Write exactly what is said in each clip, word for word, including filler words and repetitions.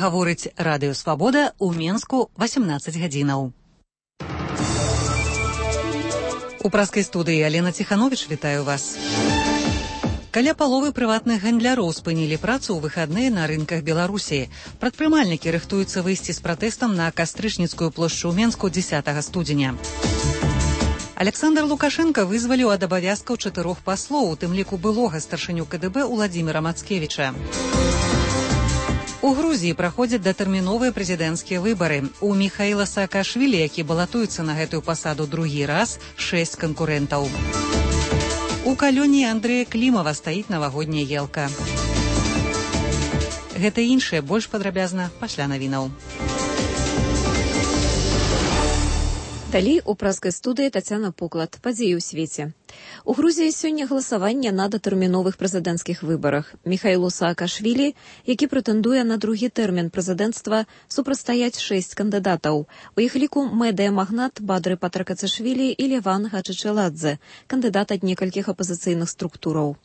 Гаворыць Радыё Свабода ў Менску васемнаццаць гадзінаў. У праскай студыі Алена Ціхановіч, вітаю вас. Каля паловы прыватных гандляроў спынілі працу ў выхадныя на рынках Беларусі. Прадпрымальнікі рыхтуюцца выйсці з пратэстам на Кастрычніцкую плошчу ў Менску дзесятага студзеня. Александр Лукашенко вызваліў ад абавязкаў чатырох паслоў, у тым ліку былога старшыню ка дэ бэ Уладзіміра Мацкевіча. У Грузіі праходзяць датэрміновыя прэзідэнцкія выбары. У Міхаіла Саакашвілі, які балатуецца на гэтую пасаду другі раз, шэсць канкурэнтаў. У калоніі Андрэя Клімава стаіць навагодняя елка. Гэта і іншае больш падрабязна пасля навінаў. Далей у праскай студыі Тацяна Пуклад. Падзеі ў свеце. У Грузіі сёння галасаванне на датэрміновых прэзідэнцкіх выбарах. Міхаілу Саакашвілі, які прэтэндуе на другі тэрмін прэзідэнцтва, супрацьстаяць шэсць кандыдатаў. У іх ліку медыямагнат Бадры Патракацашвілі і Леван Хачычаладзе, кандыдат ад некалькіх апазіцыйных структураў.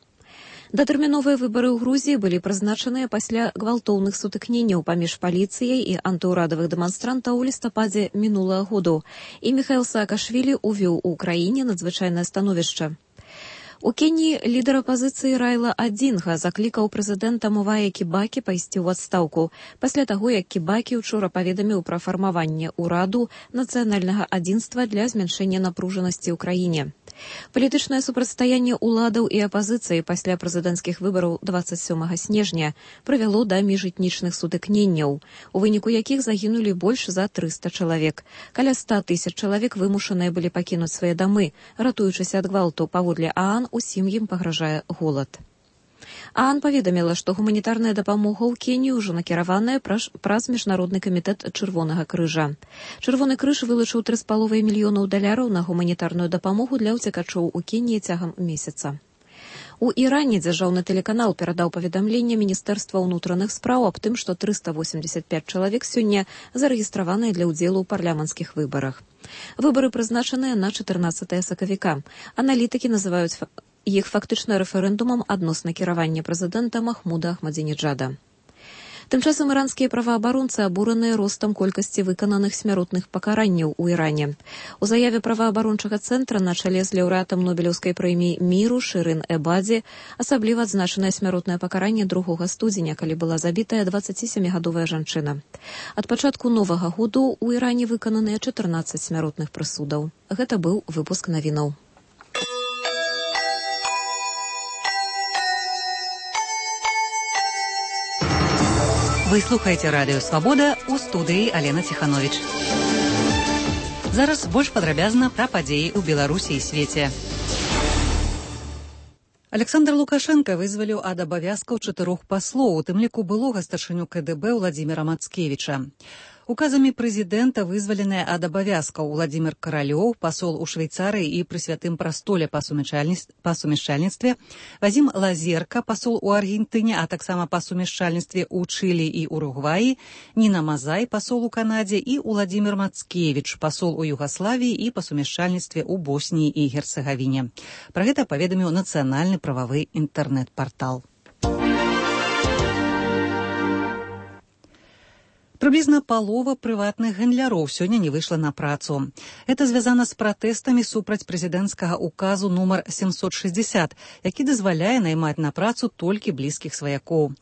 Датэрміновыя выбары ў Грузіі былі прызначаныя пасля гвалтоўных сутыкненняў паміж паліцыяй і антыўрадавых дэманстрантаў у лістападзе мінулага году, і Міхаіл Саакашвілі ўвёў у краіне надзвычайнае становішча. У Кеніі лідар апазіцыі Райла Адзінга заклікаў прэзідэнта Мувая Кібакі пайсці ў адстаўку пасля таго, як Кібакі учора паведаміў пра фармаванне ўраду нацыянальнага адзінства для змяншэння напружанасці ў краіне. Палітычнае супрацьстаянне ўладаў і апазіцыі пасля прэзідэнцкіх выбараў дваццаць сёмага снежня прывяло да міжэтнічных сутыкненняў, у выніку якіх загінулі больш за трыста чалавек. Каля ста тысяч чалавек вымушаныя былі пакінуць свае дамы, ратуючыся ад гвалту. Паводле ААН усім ім пагражае голад. ААН паведаміла, што гуманітарная дапамога ў Кеніі ўжо накіраваная праз Міжнародны камітэт Чырвонага крыжа. Чырвоны крыж вылучыў тры з паловай мільёнаў даляраў на гуманітарную дапамогу для ўцекачоў у Кеніі цягам месяца. У Іране дзяржаўны тэлеканал перадаў паведамленне Міністэрства ўнутраных спраў аб тым, што трыста восемьдесят пять чалавек сёння зарэгістраваныя для ўдзелу ў парламенцкіх выбарах. Выбары прызначаныя на чатырнаццатае сакавіка. Аналітыкі называюць іх фактычна рэферэндумам адносна кіравання прэзідэнта Махмуда Ахмадзінеджада. Тым часам іранскія праваабаронцы абураныя ростам колькасці выкананых смяротных пакаранняў у Іране. У заяве праваабарончага цэнтра на чале з лаўрэатам Нобелеўскай прэміі міру Шырын Эбадзі асабліва адзначанае смяротнае пакаранне другога студзеня, калі была забітая дваццацісямігадовая жанчына. Ад пачатку новага году у Іране выкананыя чатырнаццаць смяротных прысудаў. Гэта быў выпуск навінаў. Вы слухаеце Радыё Свабода, у студыі Алена Ціхановіч. Зараз больш падрабязна пра падзеі ў Беларусі і свеце. Александр Лукашенко вызваліў ад абавязкаў чатырох паслоў, у тым ліку былога старшыню ка дэ бэ Уладзіміра Мацкевіча. Указамі прэзідэнта вызваленыя ад абавязкаў Уладзімір Каралёў, пасол у Швейцарыі і пры святым прастоле па сумяшчальніцтве, Вазім Лазерка, пасол у Аргентыне, а таксама па сумяшчальніцтве ў Чылі і Уругваі, Ніна Мазай, пасол у Канадзе, і Уладзімір Мацкевіч, пасол у Югаславіі і па сумяшчальніцтве ў Босніі і Герцэгавіне. Пра гэта паведаміў нацыянальны прававы інтэрнэт-партал. Прыблізна палова прыватных гандляроў сёння не выйшла на працу. Гэта звязана з пратэстамі супраць прэзідэнцкага указу нумар сямсот шэсцьдзесят, які дазваляе наймаць на працу толькі блізкіх сваякоў.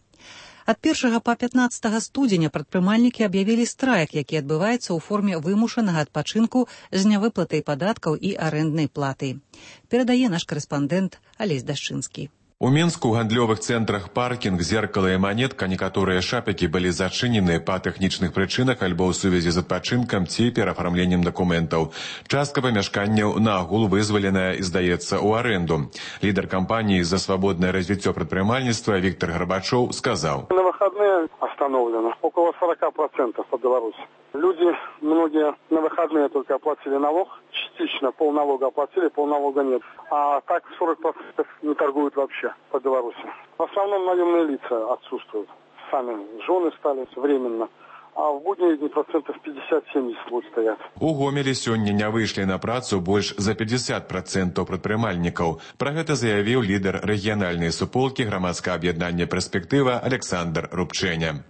Ад першага па пятнаццатага студзеня прадпрымальнікі аб'явілі страйк, які адбываецца ў форме вымушанага адпачынку з нявыплатай падаткаў і арэнднай платы. Перадае наш карэспандэнт Алесь Дашчынскі. У Мінску ў гандлёвых цэнтрах паркінг, зеркала і манетка, некаторыя шапікі былі зачынены па тэхнічных прычынах альбо ў сувязі з адпачынкам ці перафармленнем дакументаў. Частка памяшканняў наогул вызваленая і здаецца ў арэнду. Лідар кампаніі «За свободное развитие предпринимательства» Виктор Горбачев сказал: На выходные остановлено около сорок процентов по Беларуси. Люди, многие на выходные только оплатили налог, частично полналога оплатили, полналога нет. А так сорок процентов не торгуют вообще по Беларуси. В основном наемные лица отсутствуют. Сами жены стали временно. А в будние дни процентов пятьдесят-семьдесят будут стоять. У Гомелі сёння не выйшлі на працу больш за пятьдесят процентов прадпрымальнікаў. Пра гэта заявіў лідар рэгіянальнай суполкі грамадскага аб'яднання «Перспектыва» Александр Рубчэня.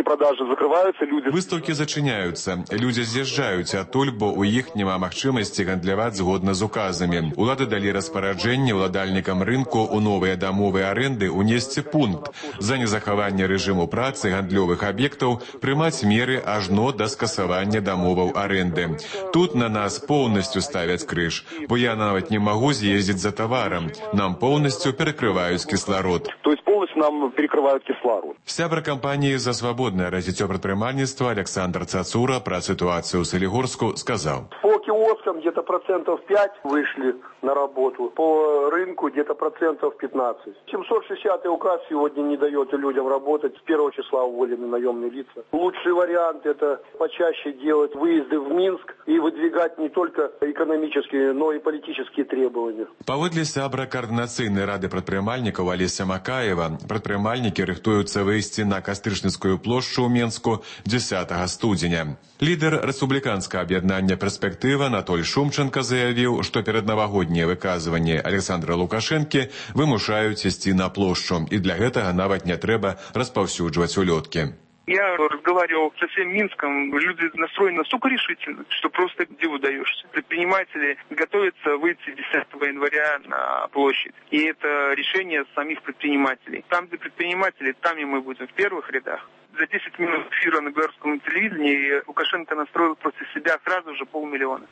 продажи закрываются, люди... Выставкі зачыняюцца. Людзі з'язджаюць адтуль, бо ў іх няма магчымасці гандляваць згодна з указамі. Улады далі распараджэнне ўладальнікам рынку ў новыя дамовыя арэнды унесці пункт за незахаванне рэжыму працы гандлёвых аб'ектаў прымаць меры ажно да скасавання дамоваў арэнды. Тут на нас поўнасцю ставяць крыж, бо я нават не магу з'ездзіць за таварам. Нам поўнасцю перакрываюць кісларод. То есть полностью нам перекрывают кислород. Сябра кампаніі «За свабоднае развіццё прадпрымальніцтва» Александр Цацура пра сітуацыю ў Салігорску сказаў. По киоскам где-то процентов пять вышли на работу, по рынку где-то процентов пятнадцать. семьсот шестидесятый указ сегодня не дает людям работать. С первого числа уволены наемные лица. Лучший вариант — это почаще делать выезды в Минск и выдвигать не только экономические, но и политические требования. Паводле сябра координацыйнай рады прадпрымальнікаў Алеся Макаева, прадпрымальнікі рыхтуюцца выйсці на Кастрычніцкую плошчу ў Менску дзесятага студзеня. Лідар рэспубліканскага аб'яднання «Перспектыва» Анатоль Шумченко заявіў, што перад навагоднія выказванні Александра Лукашэнкі вымушаюць ісці на плошчу, і для гэтага нават не трэба распаўсюджваць улёткі. Я разговаривал со всем Минском, люди настроены настолько решительно, что просто диву даешься. Предприниматели готовятся выйти десятого января на площадь. И это решение самих предпринимателей. Там, где предприниматели, там и мы будем в первых рядах. За десять минут эфира на белорусском телевидении Лукашенко настроил против себя сразу же полмиллиона.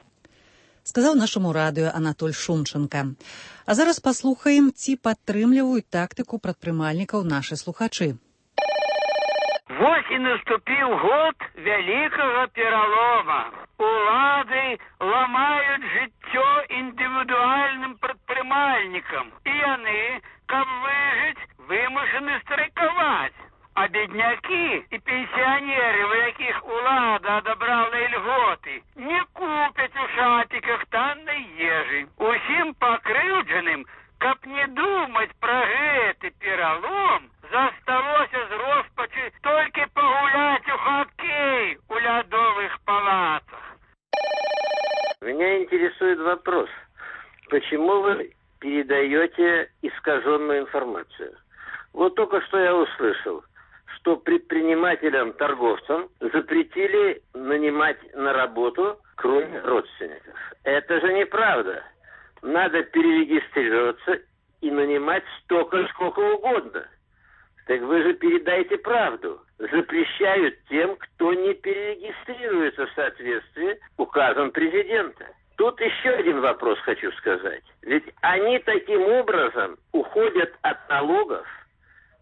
Сказаў нашаму радыё Анатоль Шумченко. А зараз паслухаем, ці падтрымліваюць тактыку прадпрымальнікаў нашы слухачы. Вось і наступіў год вялікага пералома. Улады ламаюць жыццё індывідуальным прадпрымальнікам. І яны, каб выжыць, вымушаны страйкаваць. А беднякі і пенсіянеры, у якіх улада адабрала льготы, не купяць у шапіках таннай ежы. Усім пакрыўджаным, каб не думаць пра гэты пералом, засталося з роспачы толькі пагуляць у хоккей у лядовых палацах. Меня интересует вопрос. Почему вы передаете искаженную информацию? Вот только что я услышал, что предпринимателям, торговцам запретили нанимать на работу, кроме родственников. Это же неправда. Надо перерегистрироваться и нанимать столько, сколько угодно. Так вы же передайте правду. Запрещают тем, кто не перерегистрируется в соответствии с указом президента. Тут еще один вопрос хочу сказать. Ведь они таким образом уходят от налогов,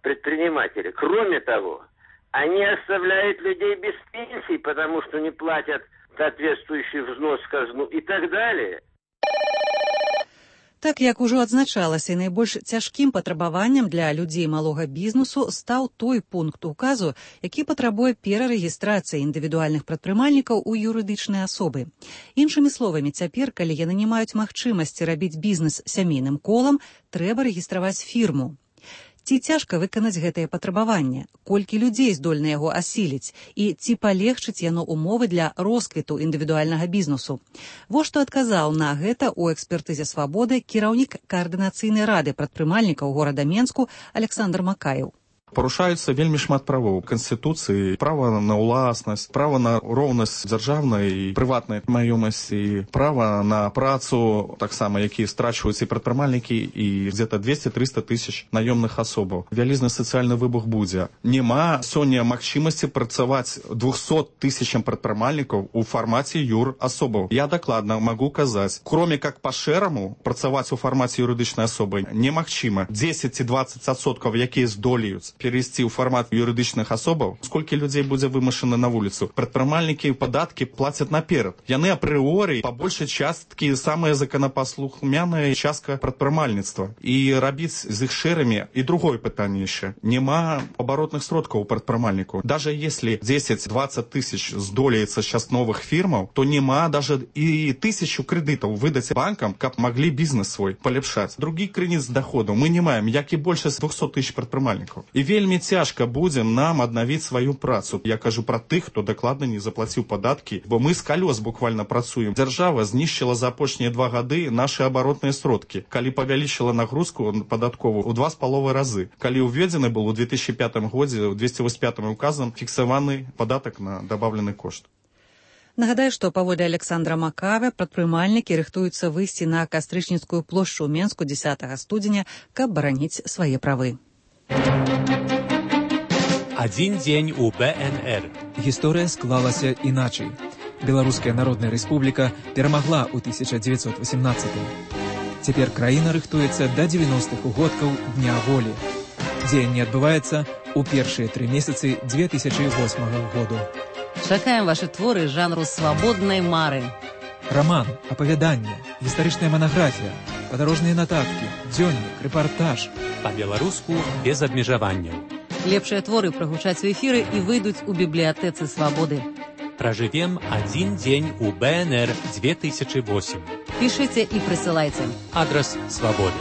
предприниматели. Кроме того, они оставляют людей без пенсий, потому что не платят соответствующий взнос в казну и так далее. Так, як ужо адзначалася, найбольш цяжкім патрабаваннем для людзей малога бізнесу стаў той пункт указу, які патрабуе перарэгістрацыі індывідуальных прадпрымальнікаў у юрыдычныя асобы. Іншымі словамі, цяпер, калі яны не маюць магчымасці рабіць бізнес сямейным колам, трэба рэгістраваць фірму. Ці цяжка выканаць гэтае патрабаванне? Колькі людзей здольны яго асіліць? І ці палегчыць яно умовы для росквіту індывідуальнага бізнесу? Во што адказаў на гэта ў экспертызе «Свабоды» кіраўнік каардынацыйнай рады прадпрымальнікаў горада Менску Александр Макаеў. Парушаюцца вельмі шмат правоў Канстытуцыі, права на ўласнасць, права на роўнасць дзяржаўнай і прыватнай маёмасці, права на працу, таксама, якія страчваюць і прадпрымальнікі, і где-то двести-триста тысяч наёмных асобаў. Вялізны сацыяльны выбух будзе. Нема сёння магчымасці працаваць двухсот тысячам прадпрымальнікаў у фармаце юр асобаў. Я дакладна магу казаць, кроме как па-шэраму, працаваць у фармаце юрыдычнай асобы немагчыма. десять-двадцать адсоткаў, якія здолеюць перейсці ў фармат юрыдычных асобаў, сколькі людзей будзе вымушана на вуліцу. Прадпрымальнікі падаткі плацяць наперад. Яны апрыоры па большай часткі самая законапаслухмяная частка прадпрымальніцтва. І рабіць з іх шэрамі. І другое пытанне яшчэ. Нема абаротных сродкаў у прадпрымальніку. Даже если десять-двадцать тысяч здолеецца сейчас новых фірмаў, то нема даже і тысячу крэдытаў выдаць банкам, каб маглі бізнес свой паляпшаць. Другі крыніц доходу мы не маем, як і большасць двухсот тысяч прадпрымальнікаў. І вельмі цяжка будзе нам аднавіць сваю працу. Я кажу пра тых, хто дакладна не заплаціў падаткі, бо мы з калёс буквально працуем. Дзяржава знішчыла за апошнія два гады нашы абаротныя сродкі, калі павялічыла нагрузку падатковую ў два з паловай разы. Калі ўведзены был у две тысячи пятым годзе ў двести восемьдесят пятым указам фіксаваны падатак на дабаўлены кошт. Нагадаю, што паводле Александра Макаве прадпрымальнікі рыхтуюцца выйсці на Кастрычніцкую плошчу ў Менску дзесятага студзеня, каб бараніць свае правы. Адзін дзень у бэ эн эр. Гісторыя склалася іначай. Беларуская Народная Рэспубліка перамагла ў тысяча дзевяцьсот васямнаццатым. Цяпер краіна рыхтуецца да дзевяностых угодкаў Дня волі. Дзеянне адбываецца ў першыя тры месяцы две тысячи восьмага году. Чакаем ваши творы жанру свабоднай мары. Роман, апавяданне, гістарычная манаграфія, падарожныя нататкі, дзённік, рэпартаж. Па-беларуску без абмежаванняў. Лепшыя творы прагучаць у эфіры і выйдуць у бібліятэцы свабоды. Пражывем адзін дзень у бэ эн эр две тысячи восемь. Пішыце і прысылайце. Адрас свабоды.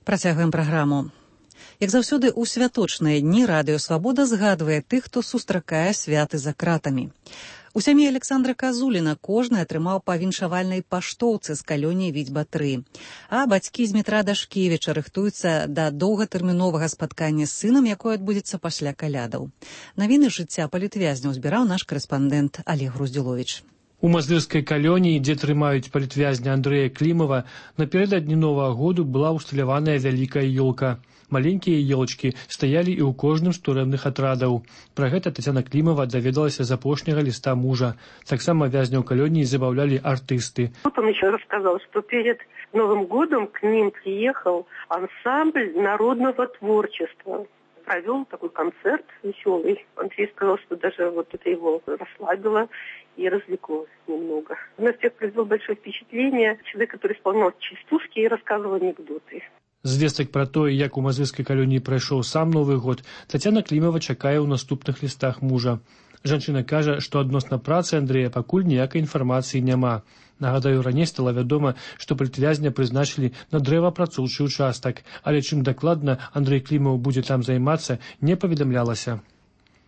Працягваем праграму. Як заўсёды, у святочныя дні Радыё Свабода згадвае тых, хто сустракае святы за кратамі. У сям'і Александра Казуліна кожны атрымаў па віншавальнай паштоўцы з калёніі Відзьба тры. А бацькі Змітра Дашкевіча рыхтуюцца да доўгатэрміновага спаткання з сынам, якое адбудзецца пасля калядаў. Навіны жыцця палітвязняў збіраў наш карэспандэнт Олег Груздзіловіч. У мазырскай калоніі, дзе трымаюць палітвязня Андрэя Клімава, напярэдадні Новага году была ўсталяваная вялікая ёлка. Маленькія елочкі стаялі і ў кожным з турэмных атрадаў. Пра гэта Тацяна Клімава даведалася з апошняга ліста мужа. Таксама вязняў калоніі забаўлялі артысты. Вот он еще рассказал, что перед Новым годом к ним приехал ансамбль народного творчества. Провел такой концерт веселый. Андрей сказал, что даже вот это его расслабило и развлекло немного. На всех произвел большое впечатление. Человек, который исполнял частушки и рассказывал анекдоты. Звестак пра тое, як у мазырскай калоніі прайшоў сам Новы год, Тацяна Клімава чакае ў наступных лістах мужа. Жанчына кажа, што адносна працы Андрэя пакуль ніякай інфармацыі няма. Нагадаю, раней стала вядома, што палітвязня прызначылі на дрэваапрацоўчы ўчастак, але чым дакладна Андрэй Клімаў будзе там займацца, не паведамлялася.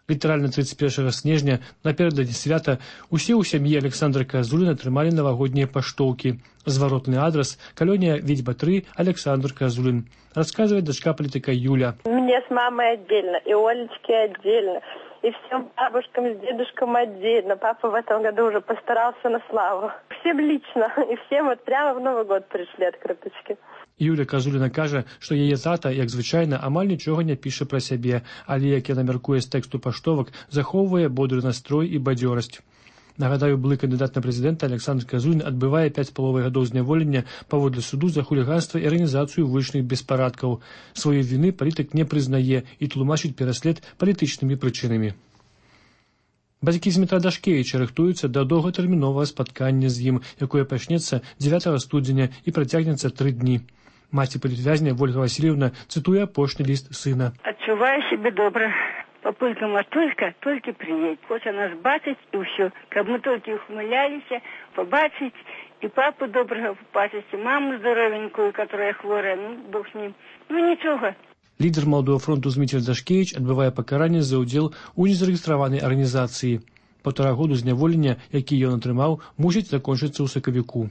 Літаральна тридцать першага снежня, наперададні свята, усе ў сям'і Александра Казуліна атрымалі навагоднія паштоўкі. Зваротны адрас – калонія Відзьба тры, Александр Казулин. Рассказывает дочка политика Юля. Мне с мамой отдельно, и Олечке отдельно, и всем бабушкам с дедушкам отдельно. Папа в этом году уже постарался на славу. Всем лично, и всем вот прямо в Новый год пришли открыточки. Юля Казуліна кажа, што яе тата, як звычайна, амаль нічога не піша пра сябе, але, як яна мяркуе з тэксту паштовак, захоўвае бодры настрой і бадзёрасць. Нагадаю, былы кандыдат на прэзідэнта Александр Казулін адбывае пяць з паловай гадоў зняволення паводле суду за хуліганства і арганізацыю вулічных беспарадкаў. Сваёй віны палітык не прызнае і тлумачыць пераслед палітычнымі прычынамі. Бацькі Змітра Дашкевіча рыхтуюцца да доўгатэрміновага спаткання з ім, якое пачнецца дзевятага студзеня і працягнецца тры дні. Маці палітвязня Ольга Васильевна цытуе апошні ліст сына. Адчуваю себе добра. Папулька Матулька толькі прыедзе. Хоча нас бачыць і ўсё. Каб мы толькі ухмыляліся, пабачыць і папу добрага пабачыць, і маму здаровенькую, которая хворая, ну, бог з ним. Ну, нічога. Лідер Маладога фронту Зміцер Дашкевіч адбывае пакаранне за ўдзел у незарэгістраванай арганізацыі. Паўтара году зняволення, які ён атрымаў, мусіць закончыцца ў сакавіку.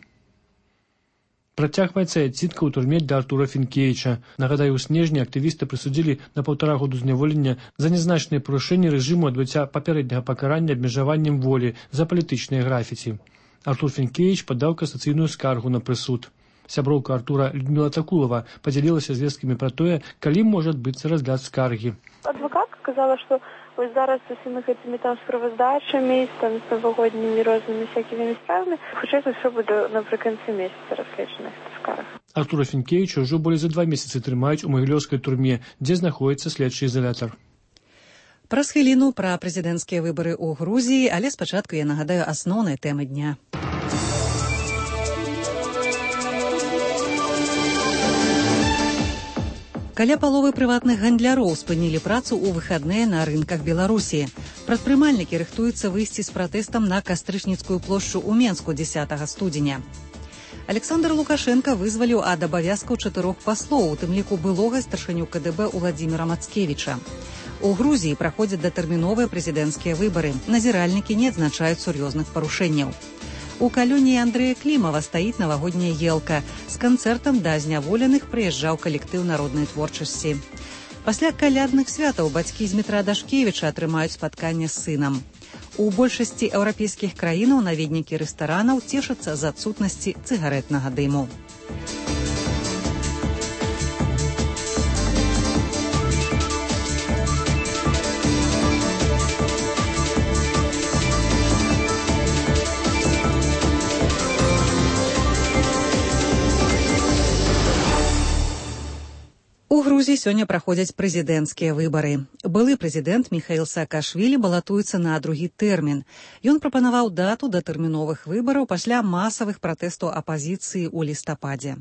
Працягваецца адсідка ў турме для Артура Фінкевіча. Нагадаю, у снежні актывісты прысудзілі на паўтара году зняволення за нязначныя парушэнні рэжыму адбыцця папярэдняга пакарання абмежаваннем волі за палітычныя графіці. Артур Фінкевіч падаў касацыйную скаргу на прысуд. Сяброўка Артура Людмила Такулова падзялілася звесткамі пра тое, калі можа адбыцца разгляд скаргі. Адвокатка сказала, што ось зараз з усімі гэтымі там справаздачамі, там з навагоднімі рознымі всякімі справамі, хутчэй за ўсё будзе напрыканцы месяца разгледжана гэта скарга. Артура Фінкевіча ўжо болей за два месяцы трымаюць у магілёўскай турме, дзе знаходзіцца следчы ізалятар. Праз хвіліну пра прэзідэнцкія выбары ў Грузіі, але спачатку я нагадаю асноўныя тэмы дня. Каля паловы прыватных гандляроў спынілі працу ў выхадныя на рынках Беларусі. Прадпрымальнікі рыхтуюцца выйсці з пратэстам на Кастрычніцкую плошчу ў Менску дзесятага студзеня. Александр Лукашенко вызваліў ад абавязкаў чатырох паслоў, у тым ліку былога старшыню ка дэ бэ Уладзіміра Мацкевіча. У Грузіі праходзяць датэрміновыя прэзідэнцкія выбары. Назіральнікі не адзначаюць сур'ёзных парушэнняў. У калоніі Андрэя Клімава стаіць навагодняя елка. З канцэртам да зняволеных прыязджаў калектыў народнай творчасці. Пасля калядных святаў бацькі Змітра Дашкевіча атрымаюць спатканне з сынам. У большасці еўрапейскіх краінаў наведнікі рэстаранаў цешацца з адсутнасці цыгарэтнага дыму. У Грузіі сёння праходзяць прэзідэнцкія выбары. Былы прэзідэнт Міхаіл Саакашвілі балатуецца на другі тэрмін. Ён прапанаваў дату датэрміновых выбараў пасля масавых пратэстаў апазіцыі ў лістападзе.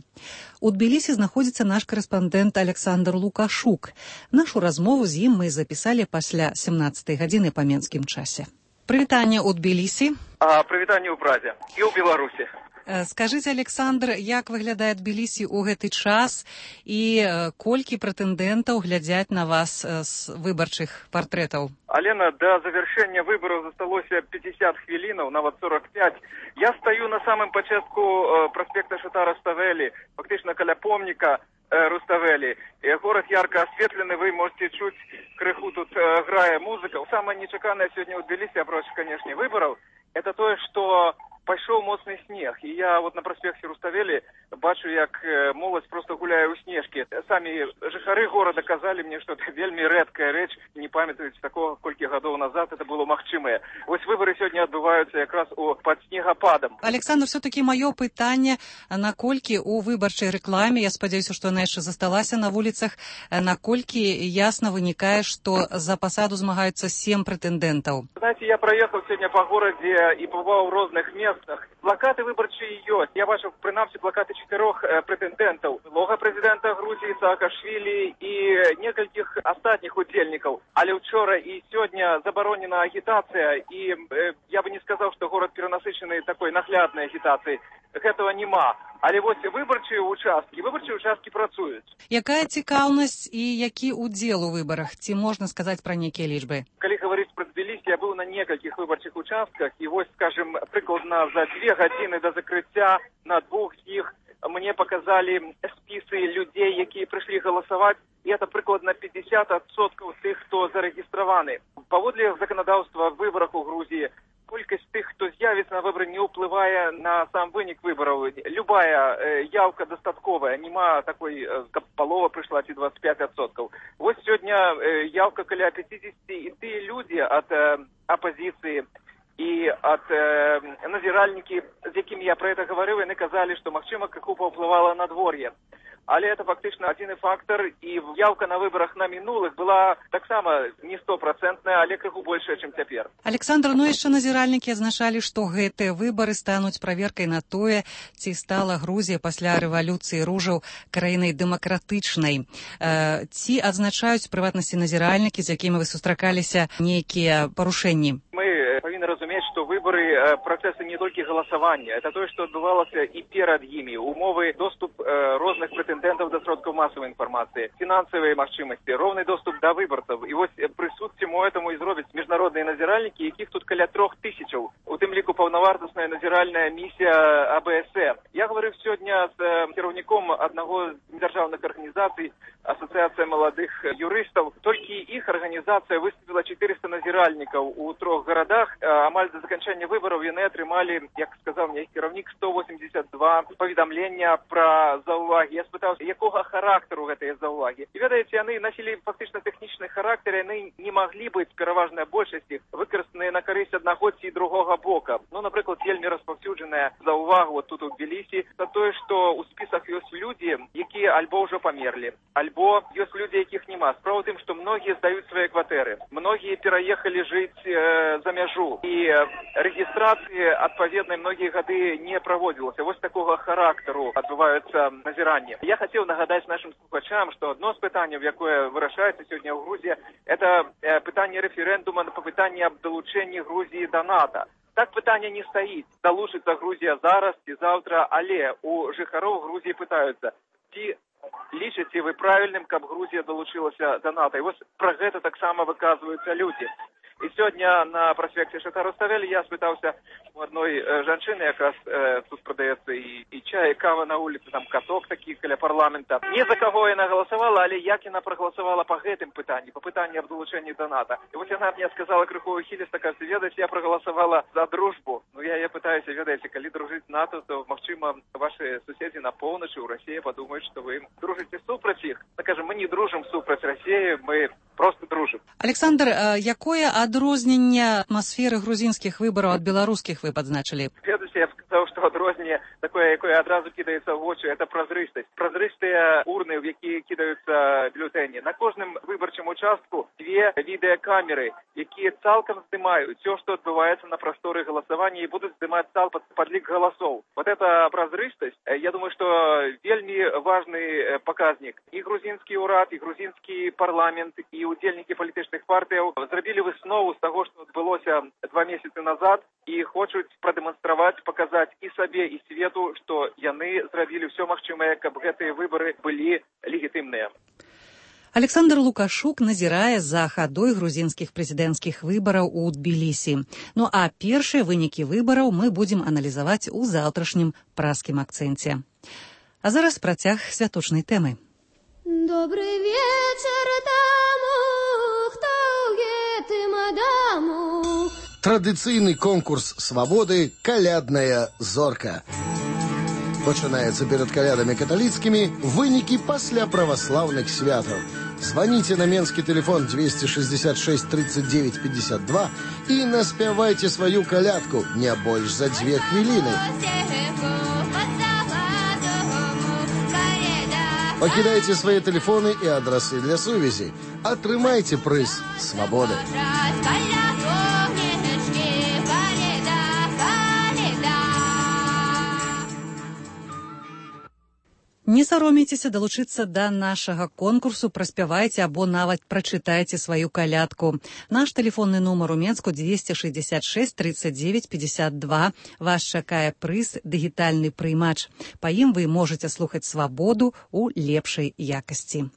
У Тбілісі знаходзіцца наш карэспандэнт Александр Лукашук. Нашу размову з ім мы запісалі пасля семнаццатай гадзіны па менскім часе. Прывітанне ў Тбілісі. А, прывітанне ў Прадзе і ў Беларусі. Скажыце, Александр, як выглядае Тбілісі ў гэты час і колькі прэтэндэнтаў глядзяць на вас з выбарчых партрэтаў? Алена, да завяршэння выбараў засталося пятьдесят хвілінаў, нават сорок пять. Я стаю на самым пачатку праспекта Шатара Руставелі, фактычна каля помніка Руставелі. Горад ярка асветлены, вы можете чуць крыху тут грае музыка. Самае нечаканае сёння ў Тбілісі, апроч, канешне, выбараў, это тое, што пайшоў моцны снег, і я вот на праспекце Руставелі бачу, як моладзь просто гуляе ў снежкі. Самі жыхары горада казалі мне, што это вельмі рэдкая рэч, не памятаюць такога, колькі гадоў назад это было магчымае. Вось выбары сёння адбываюцца якраз у пад снегападам. Александр, все-таки маё пытанне, наколькі у выбарчай рэкламе, я спадзяюся, што яна яшчэ засталася на вуліцах, наколькі ясна вынікае, што за пасаду змагаюцца сем прэтэндэнтаў. Знаете, я праехаў сёння па горадзе і побываў у розных месцах. Плакаты выбарчыя ёсць. Я бачыў прынамсі плакаты чатырох э, прэтэндэнтаў. Лога прэзідэнта Грузіі Саакашвілі і некалькіх астатніх удзельнікаў. Але ўчора і сёння забаронена агітацыя, і э, я бы не сказаў, што горад перанасычаны такой нагляднай агітацыяй. Гэтага няма. Але вось выбарчыя участкі, выбарчыя участкі працуюць. Якая цікаўнасць і які удзел у выбарах? Ці можна сказаць пра нейкія лічбы? Калі гаварыць пра Тбілісі, я быў на некалькіх выбарчых участках, і вось, скажем, прыкладна за две гадзіны да закрыцця на двух з іх мне показалі спісы людзей, якія прыйшлі галасаваць, і это прыкладна пятьдесят адсоткаў тых, хто зарэгістраваны. Паводле заканадаўства в выбарах у Грузіі, колькасць тых, хто з'явіцца на выбары, не ўплывае на сам вынік выбараў. Любая э, явка дастатковая, нема такой, э, каб палова прыйшла ці двадцать пять адсоткаў. Вось сёння э, явка каля пятьдесят, і тыя людзі ад э, апазіцыі і ад э, назіральнікі, з якімі я пра гэта гаварыў, яны казалі, што магчыма крыху паўплывала надвор'е. Але это фактычна адзіны фактор, і явка на выбарах на мінулых была таксама не стопроцентная, але крыху большая, чым цяпер. Александр, ну яшчэ назіральнікі адзначалі, што гэтыя выбары стануць праверкай на тое, ці стала Грузія пасля рэвалюцыі ружаў краінай дэмакратычнай. Э, ці адзначаюць прыватнасці назіральнікі, з якімі вы сустракаліся, нейкія парушэнні? Мы павінны разумець, што выбары працэсы не толькі галасавання, это тое, што адбывалася і перад імі, умовы доступ э, розных прэтэндэнтаў да сродкаў масавай інфармацыі, фінансавыя магчымасці, роўны доступ да выбарцаў. І вось прысуд цьму этаму і зробяць міжнародныя назіральнікі, якіх тут каля трох тысячаў, у тым ліку паўнавартасная назіральная місія а бэ эс э. Я гаварыў сёння з э, кіраўніком аднаго з дзяржаўных арганізацый, асацыяцыя маладых юрыстаў. Толькі іх арганізацыя выставіла четыреста назіральнікаў у трох гарадах. Амаль да заканчэння выбараў яны атрымалі, як сказаў мне кіраўнік, сто восемьдесят два паведамлення пра заўвагі. Я спытаў, якога характару гэтыя заўвагі. І ведаеце, яны насілі фактычна тэхнічны характар, яны не маглі быць, пераважная большасць іх, выкарыстаныя на карысць аднаго ці другога бока. Ну, напрыклад, вельмі распаўсюджаная заўвага вот тут у Тбілісі, за тое, што ў спісах ёсць людзі, якія альбо ўжо памерлі, альбо ёсць людзі, якіх няма. Справа ў тым, што многія здаюць свае кватэры, многія пераехалі жыць э, за мяжу, і рэгістрацыі адпаведнай многія гады не праводзілася. Вось такога характару адбываюцца назіранні. Я хацеў нагадаць нашим слухачам, што одно з пытанняў, якое вырашаецца сёння ў Грузіі, это пытанне рэферэндума на пытанне аб далучэнні Грузіі да НАТО. Так пытание не стоит. Долучится Грузия зараз и завтра, але у жыхароў Грузии пытаются. Ці лічыце вы правильным, каб Грузия долучилася до НАТО? И вот про это так само выказываются люди. И сегодня на проспекте Шахта-Руставели я спытался у одной э, женщины, якраз э, тут продается и, и чай, и кава на улице, там каток такие каля парламента. Не за кого она голосовала, але як она проголосовала по гэтым пытанням, по пытанням об долучении до НАТО. И вот она мне сказала крыху ухилисто, кажется, ведаете, я проголосовала за дружбу. Ну я я пытаюсь, ведаете, коли дружить с НАТО, то, махчима, ваши соседи на полночи у России подумают, что вы дружите супраць их. Скажем, мы не дружим супраць России, мы просто дружим. Александр, якое адрозненне атмасферы грузинских выборов от белорусских вы подзначили? Следующее, я бы сказал, что адрозненне такое, якое одразу кидается в очи, это прозрыстость. Прозрыстые урны, в які кидаются бюллетени. На кожном выборчем участку две видеокамеры, які цалком снимают все, что отбывается на просторе голосования, и будут снимать цал под подлик голосов. Вот эта прозрыстость, я думаю, что вельми важный показник. И грузинский урад, и грузинский парламент, и удельники політичних партій зробили виснову з того, що відбулося два місяці назад, і хочуть продемонструвати, показати і собі, і світу, що вони зробили все магчимое, каб гэты вибори були легітимними. Александр Лукашук назірае за хадой грузінскіх прэзідэнцкіх выбараў у Тбілісі. Ну а першыя вынікі выбараў мы будзем аналізаваць у заўтрашнім праскім акцэнце. А зараз працяг святочнай тэмы. Добрый вечер тому, кто гэтым адаму. Традыцыйны конкурс свабоды «Калядная зорка». Пачынаецца перад калядамі каталіцкімі вынікі пасля праваслаўных святаў. Звоните на менскі телефон двести шестьдесят шесть тридцать девять пятьдесят два и наспявайте свою калядку не больш за две хвилины. Покидайте свои телефоны и адресы для сувязі. Атрымайце прыз свабоды. Не саромейцеся далучыцца да нашага конкурсу, праспявайце або нават прачытайце сваю калядку. Наш тэлефонны нумар у Менску двести шестьдесят шесть тридцать девять пятьдесят два. Вас чакае прыз дыгітальны прыймач. Па ім вы можаце слухаць свабоду ў лепшай якасці.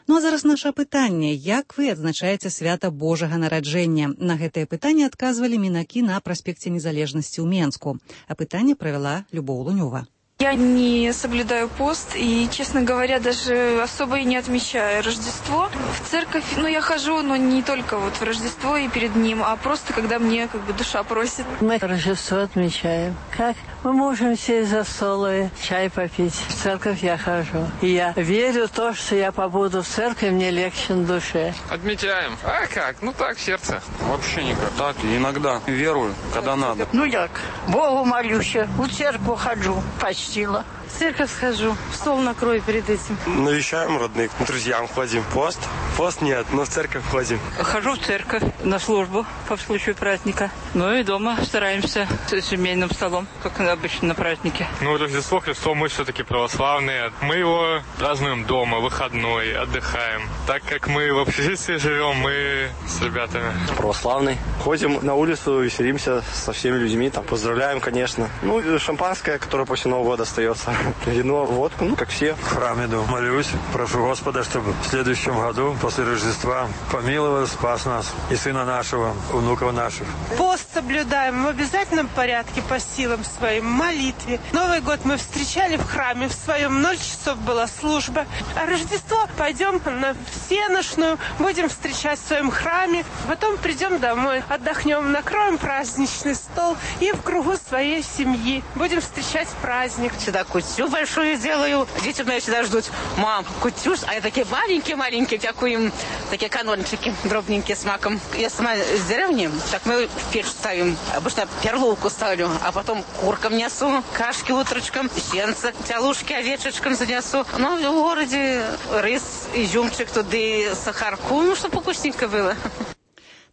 Ну а зараз наша пытанне. Як вы адзначаеце свята Божага нараджэння? На гэтае пытанне адказвалі мінакі на праспекце Незалежнасці ў Менску. А пытанне правяла Любоў Лунёва. Я не соблюдаю пост и, честно говоря, даже особо и не отмечаю Рождество. В церковь, ну, я хожу, но не только вот в Рождество и перед ним, а просто когда мне как бы душа просит. Мы Рождество отмечаем. Как мы можем сесть за стол и чай попить. В церковь я хожу. И я верю в то, что я побуду в церкви, мне легче на душе. Отмечаем. А как? Ну так, в сердце. Вообще никак. Так, иногда верую, когда надо. Ну як? Богу молюсь, в церковь хожу почти. В церковь схожу, стол накрою перед этим. Навещаем родных, к друзьям ходим. Пост? Пост нет, но в церковь ходим. Хожу в церковь на службу по случаю праздника. Ну и дома стараемся с семейным столом, как обычно на празднике. Ну, Рождество Христово мы все-таки православные. Мы его празднуем дома, выходной, отдыхаем. Так как мы в общежитии живем, мы с ребятами. Православный. Ходим на улицу, веселимся со всеми людьми, там поздравляем, конечно. Ну, шампанское, которое после Нового года остается. Вино, водку, ну, как все. В храм иду, молюсь, прошу Господа, чтобы в следующем году, после Рождества, помиловал, спас нас и сына нашего, внуков наших. Пост соблюдаем в обязательном порядке по силам своим, молитве. Новый год мы встречали в храме, в своем ноль часов была служба. А Рождество пойдем на всеношную, будем встречать в своем храме, потом придем домой, отдохнем, накроем праздничный стол и в кругу своей семьи будем встречать праздник. Всегда кутю большую делаю. Дети у меня всегда ждут. Мам, кутю. А я такие маленькие-маленькие, всякую им, такие канончики дробненькие с маком. Я сама с деревни, так мы в печь ставим. Обычно перловку ставлю, а потом куркам несу, кашки утречком, сенца, тялушки овечечкам занесу. Ну, в городе рис, изюмчик, туды, сахарку, ну, чтобы вкусненько было.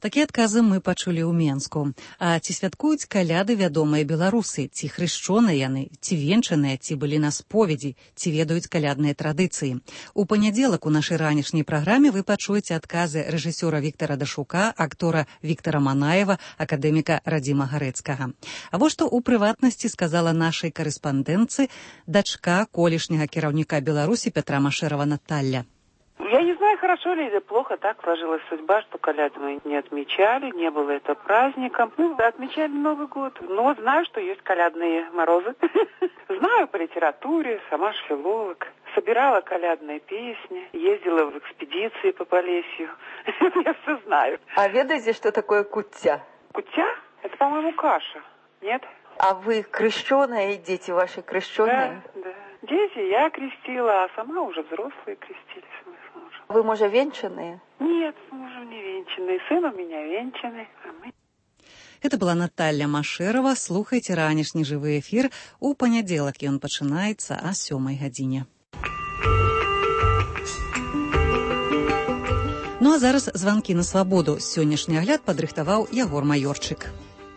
Такія адказы мы пачулі ў Менску. А ці святкуюць каляды вядомыя беларусы? Ці хрышчоныя яны? Ці венчаныя? Ці былі на споведзі? Ці ведаюць калядныя традыцыі? У панядзелак у нашай ранішняй праграме вы пачуеце адказы рэжысёра Віктара Дашука, актора Віктара Манаева, акадэміка Радзіма Гарэцкага. А вось што ў прыватнасці сказала нашай карэспандэнтцы дачка колішняга кіраўніка Беларусі Петра Машэрава Наталья. Я не знаю, хорошо ли или плохо, так сложилась судьба, что коляды мы не отмечали, не было это праздником. Ну, отмечали Новый год, но знаю, что есть колядные морозы. Знаю по литературе, сама ж филолог. Собирала колядные песни, ездила в экспедиции по Полесью. Я все знаю. А ведаете, что такое куття? Куття? Это, по-моему, каша, нет? А вы крещеные, дети ваши крещеные? Да, да. Дети я крестила, а сама уже взрослые крестились. Вы, может, венчанные? Нет, с мужем не венчанные. Сын у меня венчанный, а мы... Это была Наталья Машэрава. Слухайте ранішні жывы эфір. У панядзелак ён пачынаецца а сёмай гадзіне. Ну а зараз званкі на свабоду. Сённяшні агляд падрыхтаваў Ягор Маёрчык.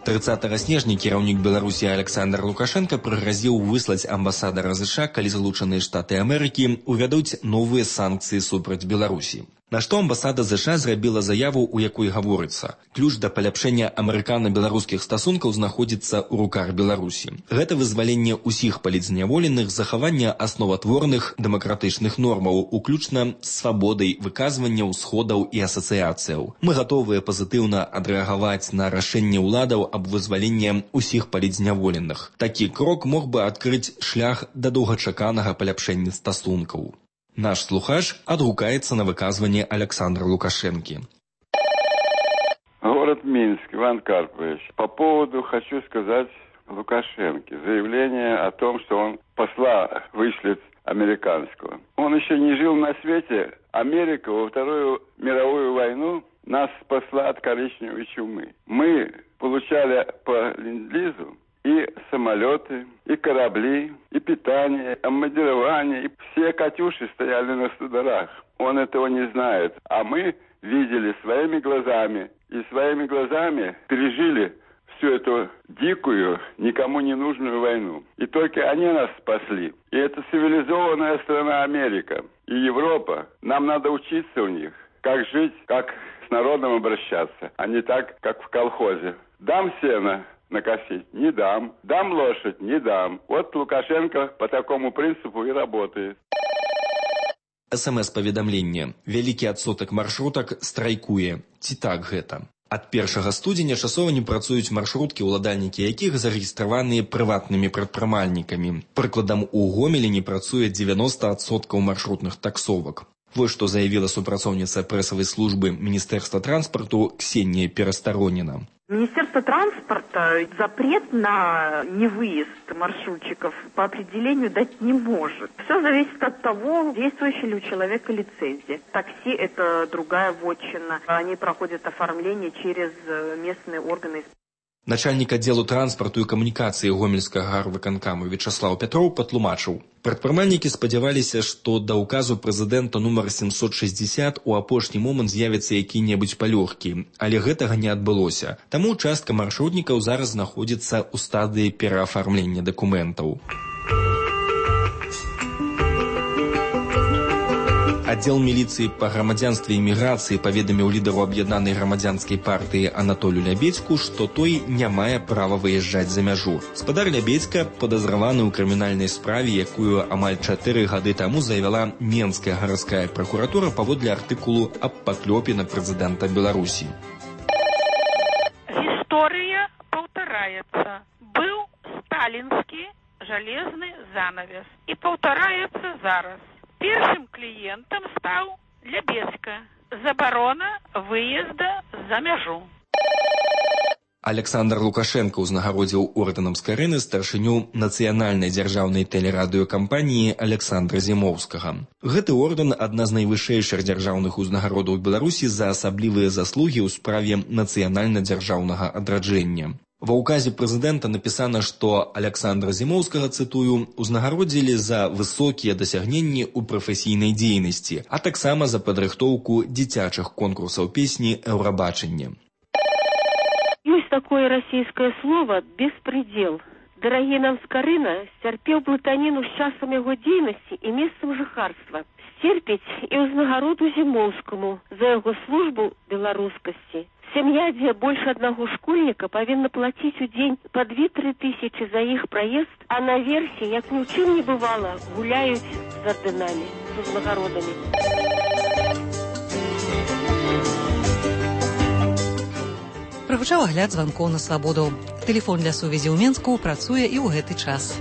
трыццатага снежня кіраўнік Беларусі Александр Лукашенко прыгразіў выслаць амбасадара ЗША, калі Злучаныя Штаты Амерыкі увядуць новыя санкцыі супраць Беларусі. На што амбасада ЗША зрабіла заяву, у якой гаворыцца: ключ да паляпшэння амерыкана-беларускіх стасункаў знаходзіцца ў руках Беларусі. Гэта вызваленне ўсіх палітзняволеных, захаванне асноватворных дэмакратычных нормаў, уключна з свабодай выказвання ўсходаў і асацыяцыяў. Мы гатовыя пазітыўна адрэагаваць на рашэнне ўладаў аб вызваленні ўсіх палітзняволеных. Такі крок мог бы адкрыць шлях да доўгачаканага паляпшэння стасункаў. Наш слухач отгукается на выказывание Александра Лукашенки. Город Минск, Иван Карпович. По поводу хочу сказать Лукашенке. Заявление о том, что он посла вышлет американского. Он еще не жил на свете. Америка во Вторую мировую войну нас спасла от коричневой чумы. Мы получали по ленд-лизу и самолеты, и корабли, и питание, обмундирование. И все «Катюши» стояли на студорах. Он этого не знает. А мы видели своими глазами. И своими глазами пережили всю эту дикую, никому не нужную войну. И только они нас спасли. И это цивилизованная страна Америка. И Европа. Нам надо учиться у них, как жить, как с народом обращаться, а не так, как в колхозе. Дам сено накосить? Не дам. Дам лошадь? Не дам. Вот Лукашенко по такому принципу и работает. СМС-паведамленне. Вялікі адсотак маршрутак страйкуе. Ці так гэта? Ад першага студзеня часова не працуюць маршруткі, уладальнікі якіх зарэгістраваныя прыватнымі прадпрымальнікамі. Прыкладам, у Гомелі не працуе дзевяноста адсоткаў маршрутных таксовак. Вот что заявила супрацоўніца прэсавай службы Министерства транспорту Ксения Пересторонина. Министерство транспорта запрет на невыезд маршрутчиков по определению дать не может. Все зависит от того, действующая ли у человека лицензия. Такси – это другая вотчина. Они проходят оформление через местные органы. Начальник отделу транспорту и коммуникации Гомельскага гарвыканкаму Вячеслав Петров патлумачыў. Прадпрымальнікі спадзяваліся, што да ўказу прэзідэнта нумар семьсот шестьдесят у апошні момант з'явяцца які-небудзь палёгкі, але гэтага не адбылося. Таму частка маршрутнікаў зараз знаходзіцца ў стадыі пераафармлення дакументаў. Отдел милиции по грамадзянстве и миграции паведаміў лідару аб'яднанай грамадзянскай партыі Анатолю Лябедзьку, што той не мае права выязджаць за мяжу. Спадар Лябедзька падазраваны ў крымінальнай справе, якую амаль чатыры гады таму завяла Менская гарадская прокуратура паводле артыкулу аб паклёпе на прэзідэнта Беларусі. История повторяется. Был сталинский железный занавес и повторяется зараз. Першим клиентом стал Лябедзька. Заборона выезда за мяжу. Александр Лукашенко узнагародзіў ордэнам Скарыны старшыню нацыянальнай дзяржаўнай тэлерадыёкампаніі Александра Зімоўскага. Гэты ордэн – адна з найвышэйшых дзяржаўных узнагародаў Беларусі за асаблівыя заслугі ў справе нацыянальна-дзяржаўнага адраджэння. Ва ўказе прэзідэнта напісана, што Александра Зімоўскага, цытую, узнагародзілі за высокія дасягненні ў прафесійнай дзейнасці, а таксама за падрыхтоўку дзіцячых конкурсаў песні «Еўрабачання». такое российское слово «беспредел». Дарагі нам Скарына сцярпеў блытаніну з часам яго дзейнасці і месцам жыхарства. Сцерпіць і ўзнагароду Зімоўскаму за яго службу беларускасці. Сям'я, дзе больш аднаго школьніка, павінна плаціць у дзень па две-тры тысячы за іх праезд, а наверсе, як ні ў чым не бывала, гуляюць з ордэнамі, з узнагародамі. Прагучаў агляд званкоў на свабоду. Тэлефон для сувязі ў Менску працуе і ў гэты час.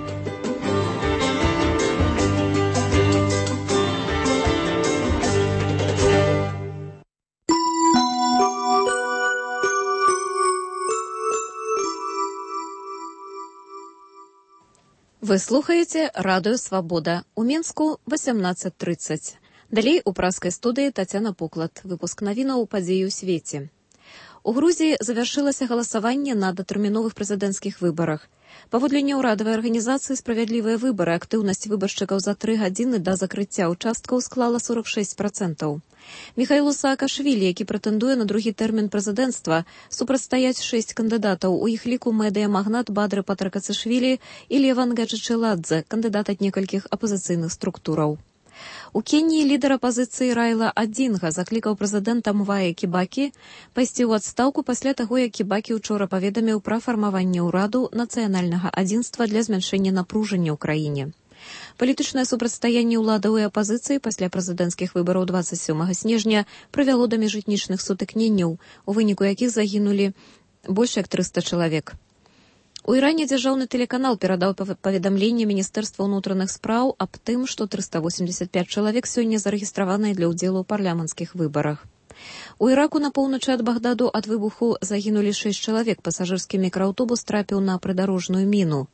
Вы слухаеце радыё «Свабода». У Менску восемнадцать тридцать. Далей у праскай студыі Тацяна Пуклад. Выпуск навінаў падзеі ў свеце. У Грузіі завяршылася галасаванне на датэрміновых прэзідэнцкіх выбарах. Паводле няўрадавай арганізацыі «Справядлівыя выбары» актыўнасць выбаршчыкаў за тры гадзіны да закрыцця ўчасткаў склала сорок шесть процентаў. Міхаілу Саакашвілі, які прэтэндуе на другі тэрмін прэзідэнцтва, супрацьстаяць шэсць кандыдатаў, у іх ліку медыямагнат Бадры Патракацішвілі і Леван Гаджычеладзе, кандыдат ад некалькіх апазіцыйных структураў. У Кеніі лідар апазіцыі Райла Адзінга заклікаў прэзідэнта Мвая Кібакі пайсці ў адстаўку пасля таго, як Кібакі учора паведаміў пра фармаванне ўраду нацыянальнага адзінства для змяншэння напружання ў краіне. Палітычнае супрацьстаянне ўладаў і апазіцыі пасля прэзідэнцкіх выбараў двадцать сёмага снежня прывяло да міжэтнічных сутыкненняў, у выніку якіх загінулі больш як трыста чалавек. У Іране дзяржаўны тэлеканал перадаў паведамленне Міністэрства ўнутраных спраў аб тым, што трыста восемьдесят пять чалавек сёння зарэгістраваныя для ўдзелу ў парламенцкіх выбарах. У Іраку на поўначы ад Багдаду ад выбуху загінулі шэсць чалавек, пасажырскі мікрааўтобус трапіў на прыдарожную міну.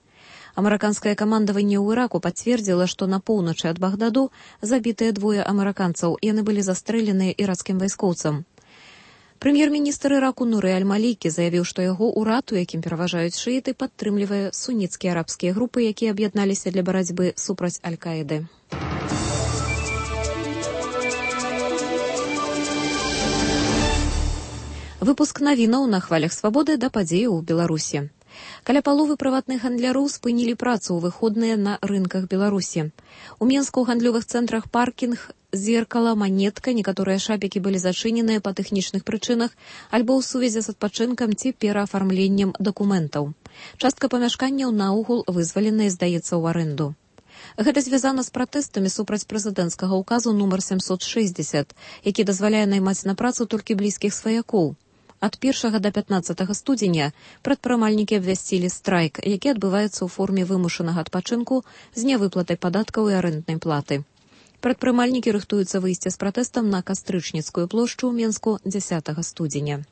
Амерыканскае камандаванне ў Іраку пацвердзіла, што на поўначы ад Багдаду забітыя двое амерыканцаў, яны былі застрэленыя іракскім вайскоўцам. Прэм'ер-міністр Іраку Нуры Аль-Малікі заявіў, што яго ўрад, у якім пераважаюць шыіты, падтрымлівае суніцкія арабскія групы, якія аб'ядналіся для барацьбы супраць Аль-Каіды. Выпуск навінаў на хвалях свабоды да падзеяў у Беларусі. Каля паловы прыватных гандляроў спынілі працу ў выходныя на рынках Беларусі. У Менску ў гандлёвых цэнтрах паркінг, зеркала, манетка, некаторыя шапікі былі зачыненыя па тэхнічных прычынах альбо ў сувязі з адпачынкам ці пераафармленнем дакументаў. Частка памяшканняў наогул вызваленая, здаецца, ў арэнду. Гэта звязана з пратэстамі супраць прэзідэнцкага ўказу нумар семьсот шестьдесят, які дазваляе наймаць на працу толькі блізкіх сваякоў. Ад першага да пятнаццатага студзеня прадпрымальнікі абвясцілі страйк, які адбываецца ў форме вымушанага адпачынку з нявыплатай падаткаў і арэнднай платы. Прадпрымальнікі рыхтуюцца выйсці з пратэстам на Кастрычніцкую плошчу ў Менску дзесятага студзеня.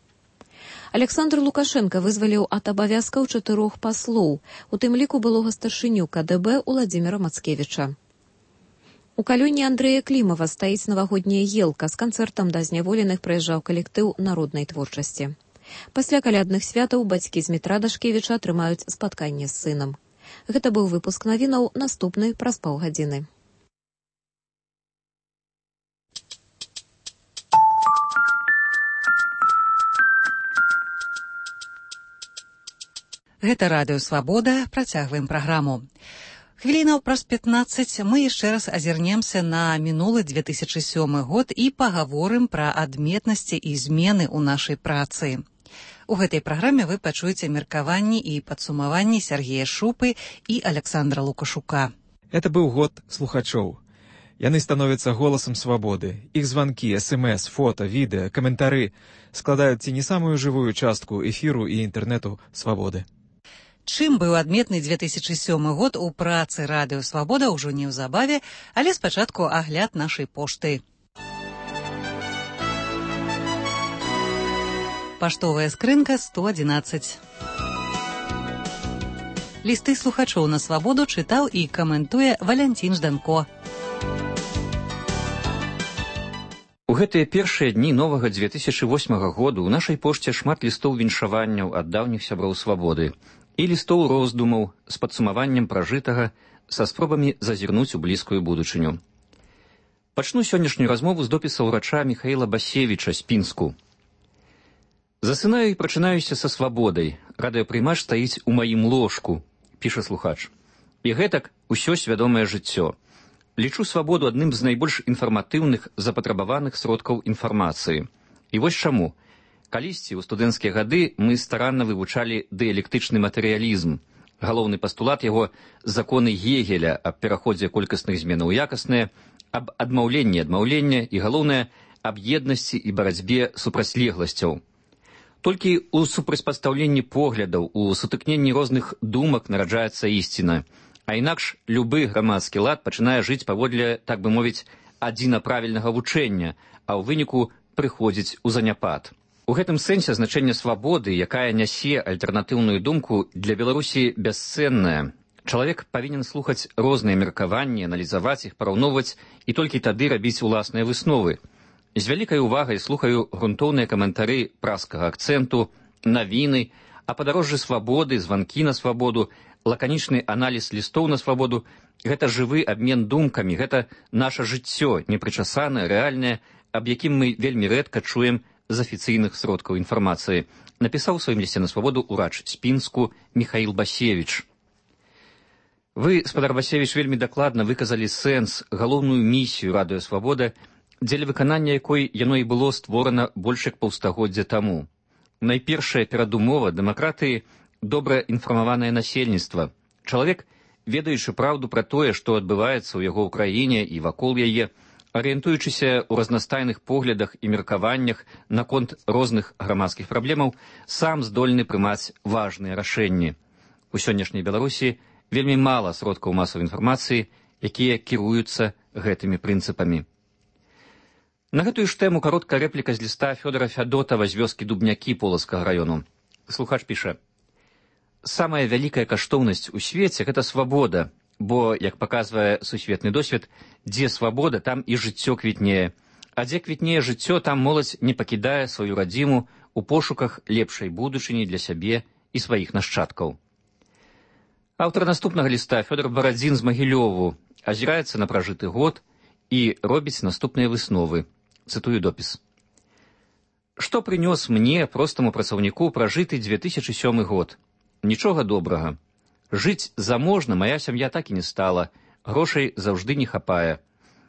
Александр Лукашенко вызваліў ад абавязкаў чатырох паслоў, у тым ліку былога старшыню ка дэ бэ Уладзіміра Мацкевіча. У калоніі Андрэя Клімава стаіць навагодняя елка, з канцэртам да зняволеных прыязджаў калектыў народнай творчасці. Пасля калядных святаў бацькі з метра Дашкевіча атрымаюць спатканне з сынам. Гэта быў выпуск навінаў, наступны праз паўгадзіны. Гэта радыё «Свабода». Працягваем праграму. Хвілінаў праз пятнаццаць мы яшчэ раз азірнемся на мінулы две тысячы сёмы год і пагаворым пра адметнасці і змены ў нашай працы. У гэтай праграме вы пачуеце меркаванні і падсумаванні Сергея Шупы і Александра Лукашука. Это быў год слухачоў. Яны становяцца голасам свабоды. Іх званкі, эс эм эс, фота, відэа, каментары складаюць ці не самую жывую частку эфіру і інтэрнэту свабоды. Чым быў адметны две тысячы сёмы год у працы радыё «Свабода» ўжо неўзабаве, але спачатку агляд нашай пошты. Паштовая скрынка сто адзінаццаць. Лісты слухачоў на свабоду чытаў і каментуе Валянцін Жданко. У гэтыя першыя дні новага две тысячы восьмага году ў нашай пошце шмат лістоў віншаванняў ад даўніх сяброў свабоды і лістоў роздумаў з падсумаваннем пражытага са спробамі зазірнуць у блізкую будучыню. Пачну сённяшнюю размову з допіса ўрача Міхаіла Басевіча з Пінску. Засынаю і прачынаюся са свабодай. Радыёпрымач стаіць у маім ложку, піша слухач. І гэтак усё свядомае жыццё. Лічу свабоду адным з найбольш інфарматыўных запатрабаваных сродкаў інфармацыі. І вось чаму. Калісьці ў студэнцкія гады мы старанна вывучалі дыялектычны матэрыялізм. Галоўны пастулат яго законы Гегеля аб пераходзе колькасных зменаў у якасныя, аб адмаўленні адмаўлення і, галоўнае, аб еднасці і барацьбе супрацьлегласцяў. Толькі ў супрацьпастаўленні поглядаў, у сутыкненні розных думак нараджаецца ісціна, а інакш любы грамадскі лад пачынае жыць паводле, так бы мовіць, адзінаправільнага вучэння, а ў выніку прыходзіць у заняпад. У гэтым сэнсе значэнне свабоды, якая нясе альтэрнатыўную думку, для Беларусі бясцэннае. Чалавек павінен слухаць розныя меркаванні, аналізаваць іх, параўноўваць і толькі тады рабіць уласныя высновы. З вялікай увагай слухаю грунтоўныя каментары праскага акцэнту, навіны, а падарожжы свабоды, званкі на свабоду, лаканічны аналіз лістоў на свабоду – гэта жывы абмен думкамі, гэта наша жыццё, непрычасанае, рэальнае, аб якім мы вельмі рэдка чуем з афіцыйных сродкаў інфармацыі, напісаў у сваім лісце на свабоду ўрач Спінску Міхаіл Басевіч. Вы, спадар Басевіч, вельмі дакладна выказалі сэнс, галоўную місію радыё «Свабода», дзеля выканання якой яно і было створана больш як паўстагоддзя таму. Найпершая перадумова дэмакратыі – добра інфармаванае насельніцтва. Чалавек, ведаючы праўду пра тое, што адбываецца ў яго ў краіне і вакол яе, арыентуючыся ў разнастайных поглядах і меркаваннях наконт розных грамадскіх праблемаў, сам здольны прымаць важныя рашэнні. У сённяшняй Беларусі вельмі мала сродкаў масавай інфармацыі, якія кіруюцца гэтымі прынцыпамі. На гэтую ж тэму кароткая рэпліка з ліста Фёдора Фядотава з вёскі Дубнякі Полацкага раёну. Слухач піша: «Самая вялікая каштоўнасць у свеце – гэта свабода, бо, як паказвае сусветны досвед, дзе свабода, там і жыццё квітнее. А дзе квітнее жыццё, там моладзь не пакідае сваю радзіму у пошуках лепшай будучыні для сябе і сваіх нашчадкаў». Аўтар наступнага ліста, Фёдор Барадзін з Магілёву, азіраецца на пражыты год і робіць наступныя высновы. Цытую допіс. «Што прынёс мне, простаму працаўніку, пражыты две тысячы сёмы год? Нічога добрага. Жыць заможна мая сям'я так і не стала, грошай заўжды не хапае.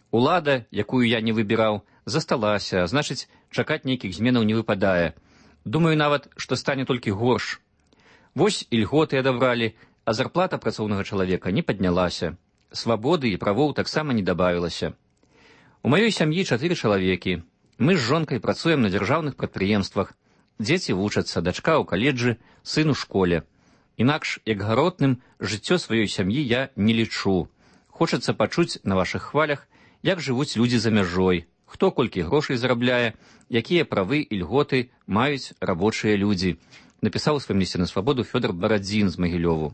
Улада, якую я не выбіраў, засталася, а значыць, чакаць нейкіх зменаў не выпадае. Думаю нават, што стане толькі горш. Вось і льготы адабралі, а зарплата працоўнага чалавека не паднялася. Свабоды і правоў таксама не дабавілася. У маёй сям'і чатыры чалавекі. Мы з жонкай працуем на дзяржаўных прадпрыемствах. Дзеці вучацца, дачка ў каледжы, сын у школе. Інакш, як гаротным, жыццё сваёй сям'і я не лічу. Хочацца пачуць на вашых хвалях, як жывуць людзі за мяжой, хто колькі грошай зарабляе, якія правы і льготы маюць рабочыя людзі, напісаў у сваім лісце на свабоду Фёдор Барадзін з Магілёву.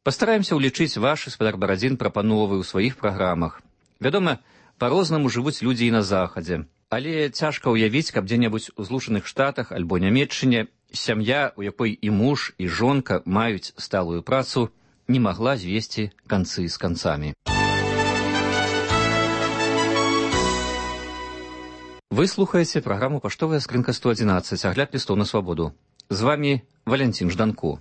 Пастараемся ўлічыць вашы, спадар Барадзін, прапановы ў сваіх праграмах. Вядома, па-рознаму жывуць людзі і на захадзе. Але цяжка ўявіць, каб дзе-небудзь у Злучаных Штатах альбо Нямецчыне сям'я, у якой і муж, і жонка маюць сталую працу, не магла звесці канцы з канцамі. Вы слухаеце праграму «Паштовая скрынка сто адзінаццаць», агляд лістоў на свабоду. З вамі Валянцін Жданко.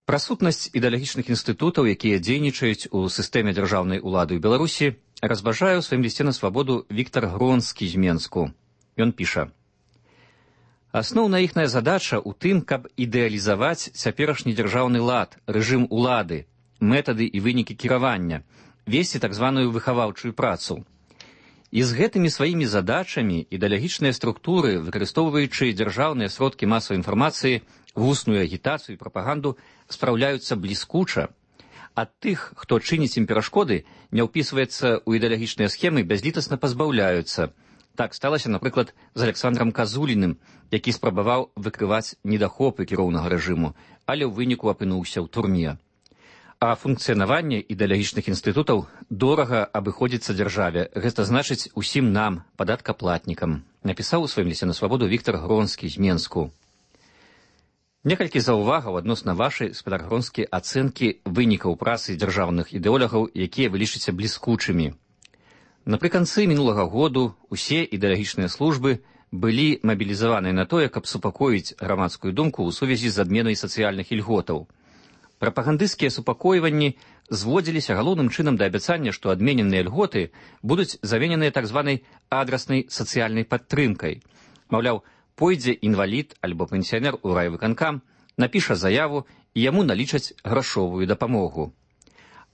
Пра сутнасць ідэалагічных інстытутаў, якія дзейнічаюць у сістэме дзяржаўнай улады ў Беларусі, разважае ў сваім лісце на свабоду Віктар Гронскі з Менску. Ён піша: «Асноўная іхная задача ў тым, каб ідэалізаваць цяперашні дзяржаўны лад, рэжым улады, метады і вынікі кіравання, весці так званую выхаваўчую працу. І з гэтымі сваімі задачамі ідэалагічныя структуры, выкарыстоўваючы дзяржаўныя сродкі масавай інфармацыі, вусную агітацыю і прапаганду, спраўляюцца бліскуча. Ад тых, хто чыніць ім перашкоды, не ўпісваецца ў ідэалагічныя схемы, бязлітасна пазбаўляюцца. Так сталася, напрыклад, з Александрам Казуліным, які спрабаваў выкрываць недахопы кіроўнага рэжыму, але ў выніку апынуўся ў турме. А функцыянаванне ідэалагічных інстытутаў дорага абыходзіцца дзяржаве, гэта значыць усім нам, падаткаплатнікам, напісаў у сваім лісце на свабоду Віктар Гронскі з Менску. Некалькі заўвагаў адносна вашай, спадар Гронскі, ацэнкі вынікаў працы дзяржаўных ідэолагаў, якія вы лічыце бліскучымі. Напрыканцы мінулага году ўсе ідэалагічныя службы былі мабілізаваныя на тое, каб супакоіць грамадскую думку ў сувязі з адменай сацыяльных ільготаў. Прапагандысцкія супакойванні зводзіліся галоўным чынам да абяцання, што адмененыя льготы будуць замененыя так званай адраснай сацыяльнай падтрымкай. Маўляў, пойдзе інвалід альбо пенсіянер у райвыканкам, напіша заяву і яму налічаць грашовую дапамогу.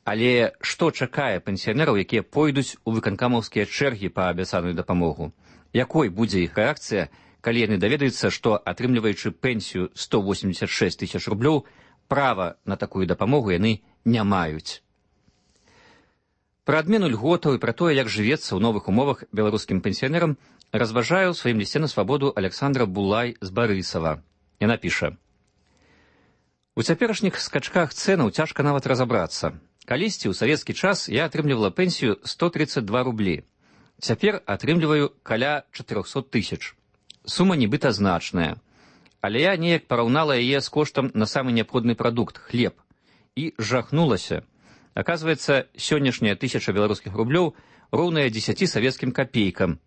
Але што чакае пенсіянераў, якія пойдуць у выканкамаўскія чэргі па абяцаную дапамогу? Якой будзе іх рэакцыя, калі яны даведаюцца, што, атрымліваючы пенсію сто восемьдесят шесть тысяч рублёў, права на такую дапамогу яны не маюць. Пра адмену льготаў і пра тое, як жывецца ў новых умовах беларускім пенсіянерам, разважае ў сваім лісце на свабоду Александра Булай з Барысава. Яна піша: «У цяперашніх скачках цэнаў цяжка нават разабрацца. Калісьці ў савецкі час я атрымлівала пенсію сто тридцать два рублі. Цяпер атрымліваю каля четырёхсот тысяч. Сума нібыта значная. Але я неяк параўнала яе з коштам на самы неабходны прадукт – хлеб. І жахнулася. Аказваецца, сённяшняя тысяча беларускіх рублёў роўная дзесяці савецкім капейкам.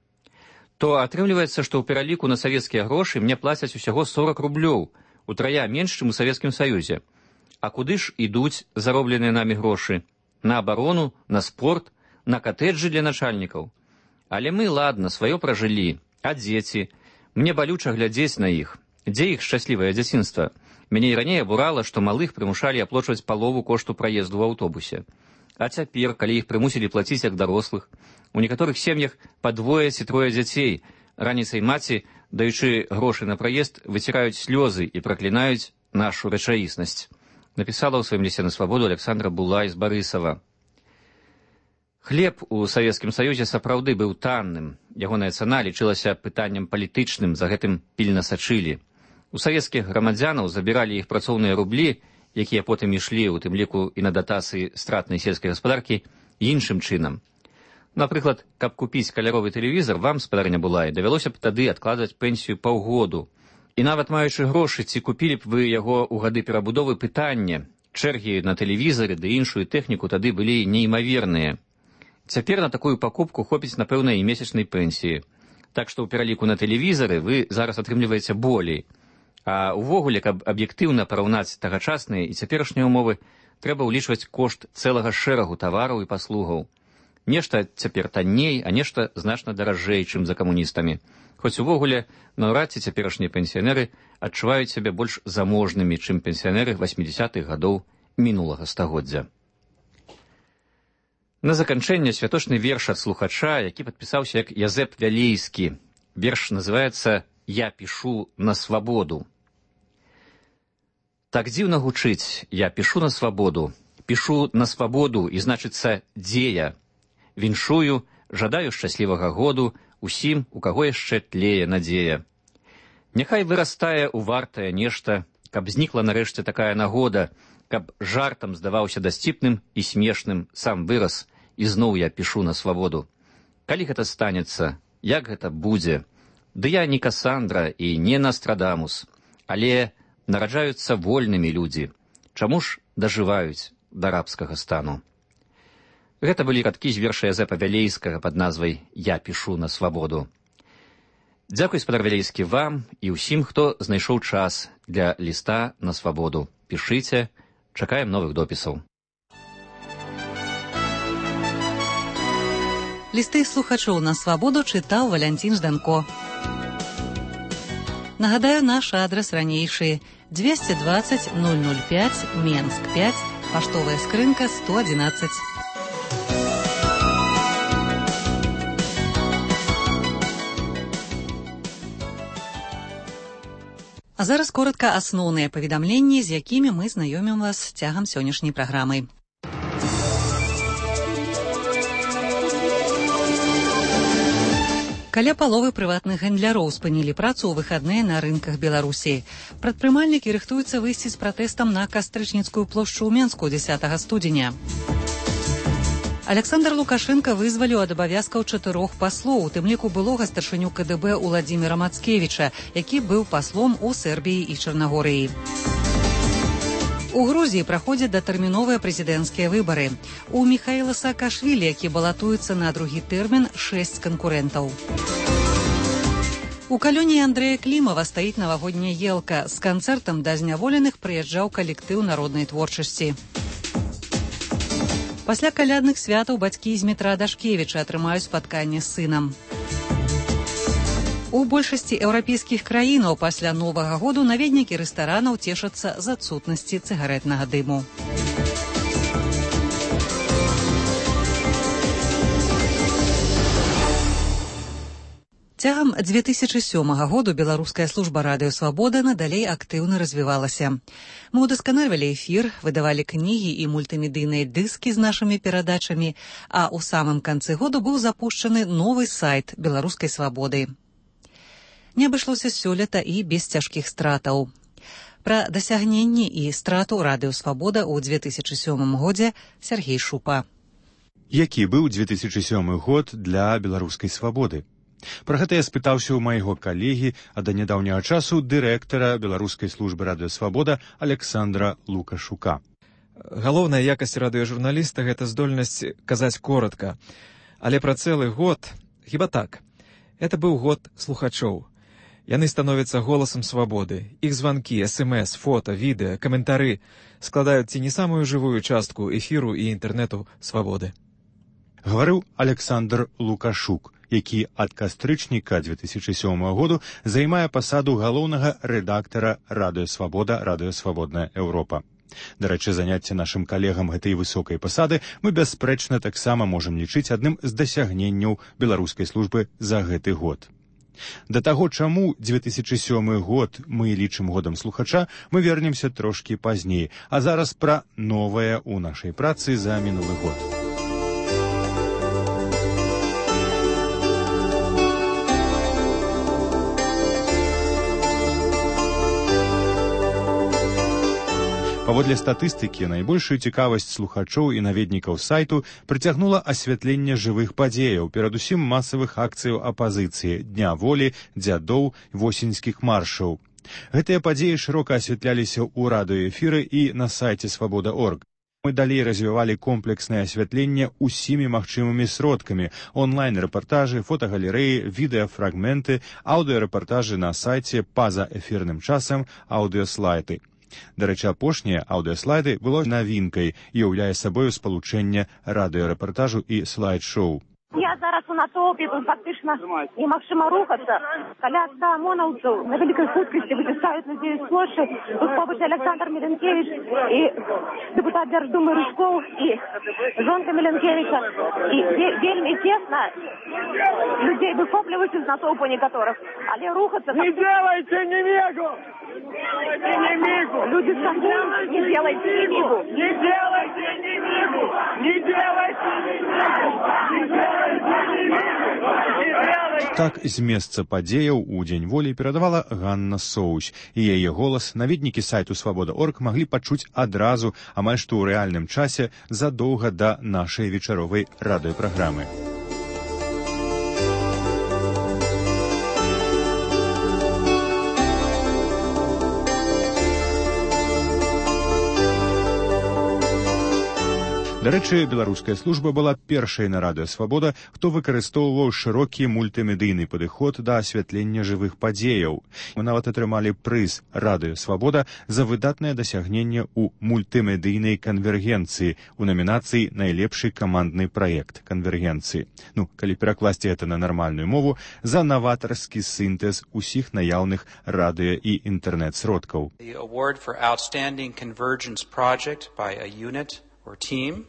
То атрымліваецца, што ў пераліку на савецкія грошы мне плацяць усяго сорок рублёў, утрая менш, чым у Савецкім Саюзе. А куды ж ідуць заробленыя намі грошы? На абарону, на спорт, на катэджы для начальнікаў. Але мы, ладна, сваё пражылі. А дзеці? Мне балюча глядзець на іх. Дзе іх шчаслівае дзяцінства? Мяне і раней абурала, што малых прымушалі аплочваць палову кошту праезду ў аўтобусе. А цяпер, калі іх прымусілі плаціць як дарослых, у некаторых сем'ях па двое ці трое дзяцей, раніцай маці, даючы грошы на праезд, выціраюць слёзы і праклінаюць нашу рэчаіснасць. Напісала ў сваім лісце на свабоду Александра Булай з Барысава. Хлеб у Савецкім Саюзе сапраўды быў танным. Ягоная цана лічылася пытаннем палітычным, за гэтым пільна сачылі. У савецкіх грамадзянаў забіралі іх працоўныя рублі, якія потым ішлі, у тым ліку і на датацыі стратнай сельскай гаспадаркі, іншым чынам. Напрыклад, каб купіць каляровы тэлевізар, вам, спадарня Булай, давялося б тады адкладаць пенсію паўгоду. І нават маючы грошы, ці купілі б вы яго ў гады перабудовы, пытанне. Чэргі на тэлевізары ды іншую тэхніку тады былі неймаверныя. Цяпер на такую пакупку хопіць, напэўна, і месячнай пенсіі. Так што ў пераліку на тэлевізары вы зараз атрымліваеце болей. А ўвогуле, каб аб'ектыўна параўнаць тагачасныя і цяперашнія ўмовы, трэба ўлічваць кошт цэлага шэрагу тавараў і паслугаў. Нешта цяпер танней, а нешта значна даражэй, чым за камуністамі. Хоць увогуле, наўрад ці цяперашнія пенсіянеры адчуваюць сябе больш заможнымі, чым пенсіянеры восьмідзясятых гадоў мінулага стагоддзя. На заканчэнне святочны верш ад слухача, які падпісаўся як Язэп Вялейскі. Верш называецца «Я пішу на свабоду». Так дзіўна гучыць, я пішу на свабоду. Пішу на свабоду, і значыцца, дзе я. Віншую, жадаю шчаслівага году усім, у каго яшчэ тлее надзея. Няхай вырастае ў вартае нешта, каб знікла нарэшце такая нагода, каб жартам здаваўся дасціпным і смешным сам выраз, і зноў я пішу на свабоду. Калі гэта станецца, як гэта будзе? Ды я не Касандра і не Настрадамус, але нараджаюцца вольнымі людзі. Чаму ж дажываюць да рабскага стану? Гэта былі радкі з верша Язэпа Вялейскага пад назвай «Я пішу на свабоду». Дзякуй, спадар Вялейскі, вам і ўсім, хто знайшоў час для ліста на свабоду. Пішыце, чакаем новых допісаў. Лісты слухачоў на свабоду чытаў Валянцін Жданко. Нагадаю, наш адрес ранейшы двести двадцать ноль ноль пять, Менск пять, паштовая скрынка сто одиннадцать. А зараз коротка асноўныя паведамленні, з якімі мы знаёмім вас цягам сённяшняй праграмы. Каля паловы прыватных гандляроў спынілі працу ў выхадныя на рынках Беларусі. Прадпрымальнікі рыхтуюцца выйсці з пратэстам на Кастрычніцкую плошчу ў Менску дзесятага студзеня. Александр Лукашенко вызваліў ад абавязкаў чатырох паслоў, у тым ліку былога старшыню ка дэ бэ Уладзіміра Мацкевіча, які быў паслом у Сербіі і Чарнагорыі. У Грузіі праходзяць датэрміновыя прэзідэнцкія выбары. У Міхаіла Саакашвілі, які балатуецца на другі тэрмін, шэсць канкурэнтаў. У калёне Андрэя Клімава стаіць навагодняя елка. З канцэртам да зняволеных прыязджаў калектыў народнай творчасці. Пасля калядных святаў бацькі з Дмітра Дашкевіча атрымаюць спатканне з сынам. У большасці еўрапейскіх краінаў пасля Новага году наведнікі рэстаранаў цешацца з адсутнасці цыгарэтнага дыму. Цягам дзве тысячы сёмага году беларуская служба радыё «Свабода» надалей актыўна развівалася. Мы ўдасканальвалі эфір, выдавалі кнігі і мультымедыйныя дыскі з нашымі перадачамі, а ў самым канцы году быў запушчаны новы сайт беларускай «Свабоды». Не абышлося сёлета і без цяжкіх стратаў. Пра дасягненні і страту радыё «Свабода» ў дзве тысячы сёмым годзе Сергей Шупа. Які быў дзве тысячы сёмы год для беларускай «Свабоды»? Пра гэта я спытаўся ў майго калегі, а да нядаўняга часу дырэктара беларускай службы радыё «Свабода» Александра Лукашука. Галоўная якасць радыёжурналіста – гэта здольнасць казаць коратка. Але пра цэлы год, хіба так. Это быў год слухачоў. Яны становяцца голасам свабоды. Іх званкі, эс-эм-эс, фота, відэа, каментары складаюць ці не самую жывую частку эфіру і інтэрнэту свабоды. Гаварыў Александр Лукашук, які ад кастрычніка дзве тысячы сёмага году займае пасаду галоўнага рэдактара радыё «Свабода», радыё «Свабодная Еўропа». Дарэчы, заняцце нашым калегам гэтай высокай пасады мы бясспрэчна таксама можам лічыць адным з дасягненняў беларускай службы за гэты год. Да таго, чаму дзве тысячы сёмы год мы лічым годам слухача, мы вернемся трошкі пазней, а зараз пра новае ў нашай працы за мінулы год. Паводле статыстыкі, найбольшую цікавасць слухачоў і наведнікаў сайту прыцягнула асвятленне жывых падзеяў, перадусім масавых акцыяў апазіцыі, Дня волі, дзядоў, восеньскіх маршаў. Гэтыя падзеі шырока асвятляліся ў радыёэфіры і на сайце свабода точка орг. Мы далей развівалі комплекснае асвятленне ўсімі магчымымі сродкамі: онлайн-рэпартажы, фотагалерэі, відэафрагменты, аўдыёрэпартажы на сайце, па-за эфірным часам, аўдыёслайды. Дарэчы, апошнія аўдыёслайды было навінкай і ўяўляе сабою спалучэнне радыёрэпартажу і слайд-шоу. Я зараз у натоўпе, тут фактычна немагчыма рухацца. Каля ста омонаўцаў на вялікай хуткасці выцісаюць людзей з плошчы. Тут побач Александр Міленкевіч і дэпутат Дзярждумы Рыжкоў і жонка Міленкевіча. І вельмі цесна людзей выхопліваюць з натоўпу некаторых. Але рухацца... Не делайте немигу! Не мигу! Люди скажут, не делайте немигу! Не делайте немигу! Не делайте немигу! Так з месца падзеяў у Дзень волі перадавала Ганна Соусь, і яе голас наведнікі сайту свабода точка орг маглі пачуць адразу, амаль што ў рэальным часе, задоўга да нашай вечаровай радыёпраграмы. Дарэчы, беларуская служба была першай на радыё «Свабода», хто выкарыстоўваў шырокі мультымедыйны падыход да асвятлення жывых падзеяў. Мы нават атрымалі прыз «Радыё Свабода» за выдатнае дасягненне ў мультымедыйнай канвергенцыі у намінацыі «Найлепшы камандны праект канвергенцыі». Ну, калі перакласці гэта на нармальную мову, за наватарскі сінтэз усіх наяўных радыё і інтэрнэт-сродкаў. The award for outstanding convergence project by a unit or team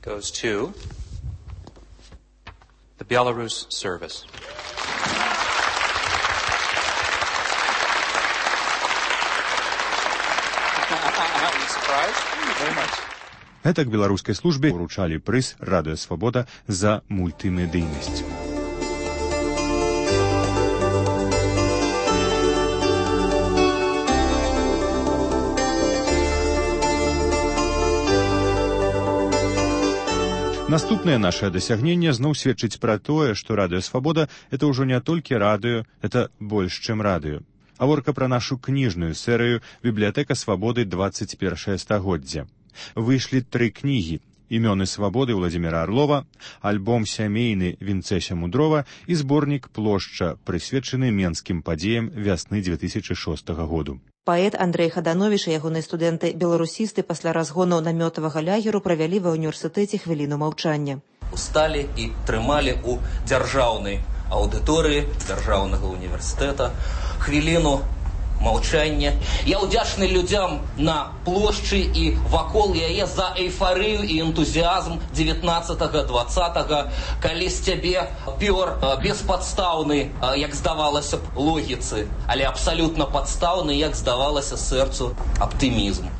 goes to the Belarus service. Гэтак беларускай службе уручалі прыз «Радыё Свабода» за мультымедыйнасць. Наступнае нашае дасягненне зноў сведчыць пра тое, што радыё «Свабода» — это ўжо не толькі радыё, это больш, чым радыё. Гаворка пра нашу кніжную серыю «Бібліятэка свабоды двадцать першае стагоддзе». Выйшлі тры кнігі. Імёны свабоды Владзіміра Арлова, альбом сямейны Вінцэся Мудрова і зборнік «Плошча», прысвечаны менскім падзеям вясны дзве тысячы шостага году. Паэт Андрэй Хадановіч і ягоныя студэнты-беларусісты пасля разгону намётавага лягеру правялі ва ўніверсітэце хвіліну маўчання. Усталі і трымалі ў дзяржаўнай аўдыторыі дзяржаўнага універсітэта хвіліну маўчання. Я ўдзячны людзям на плошчы і вакол яе за эйфарыю і энтузіазм дзевятнаццатага дваццатага, калі з цябе пёр беспадстаўны, як здавалася б, логіцы, але абсалютна падстаўны, як здавалася сэрцу, аптымізм.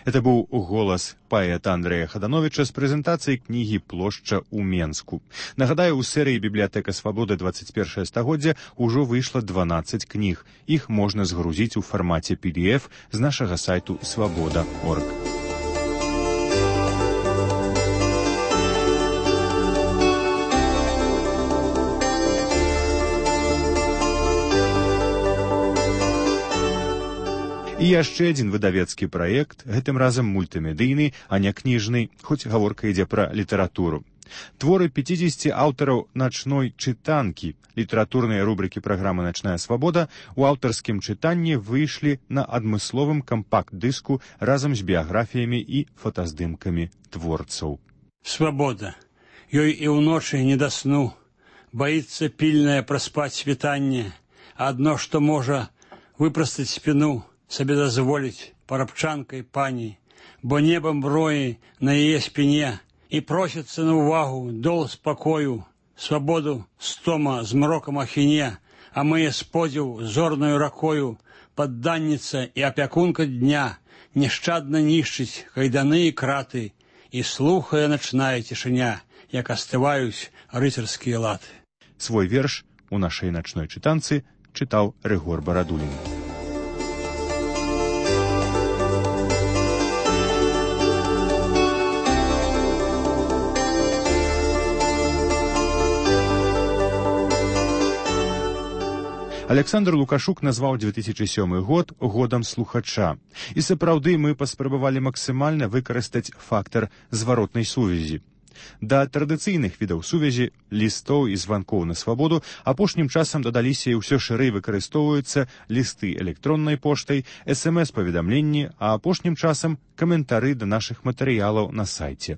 Это быў голас паэта Андрэя Хадановіча з прэзентацыяй кнігі «Плошча» ў Менску. Нагадаю, у серыі «Бібліятэка свабоды двадцать першае стагоддзя» ужо выйшла дванаццаць кніг. Іх можна згрузіць у фармаце пі ді эф з нашага сайту свабода точка орг. І яшчэ адзін выдавецкі праект, гэтым разам мультымедыйны, а не кніжны, хоць гаворка ідзе пра літаратуру. Творы пяцідзесяці аўтараў начной чытанкі, літаратурныя рубрыкі праграмы «Начная свабода» у аўтарскім чытанні выйшлі на адмысловым кампакт-дыску разам з біяграфіямі і фотаздымкамі творцаў. Свабода. Ёй і ўночы не да сну. Баіцца пільнае праспаць світанне. Адно, што можа выпрастаць спіну, сабе дазволіць парабчанкай пані, бо небам броі на яе спіне і просіцца на ўвагу дол спакою, свабоду стома з мрокам ахіне, а мые сподзіў зорнаю ракою, падданніца і апякунка дня няшчадна нішчыць кайданы і краты, і слухае начная цішыня, як астываюць рыцарскія латы. Свой верш у нашай начной чытанцы чытаў Рыгор Барадулін. Александр Лукашук назваў дзве тысячы сёмы год годам слухача. І сапраўды мы паспрабавалі максімальна выкарыстаць фактар зваротнай сувязі. Да традыцыйных відаў сувязі, лістоў і званкоў на свабоду апошнім часам дадаліся і ўсё шырэй выкарыстоўваюцца лісты электроннай поштай, эс эм эс-паведамленні, а апошнім часам каментары да нашых матэрыялаў на сайце.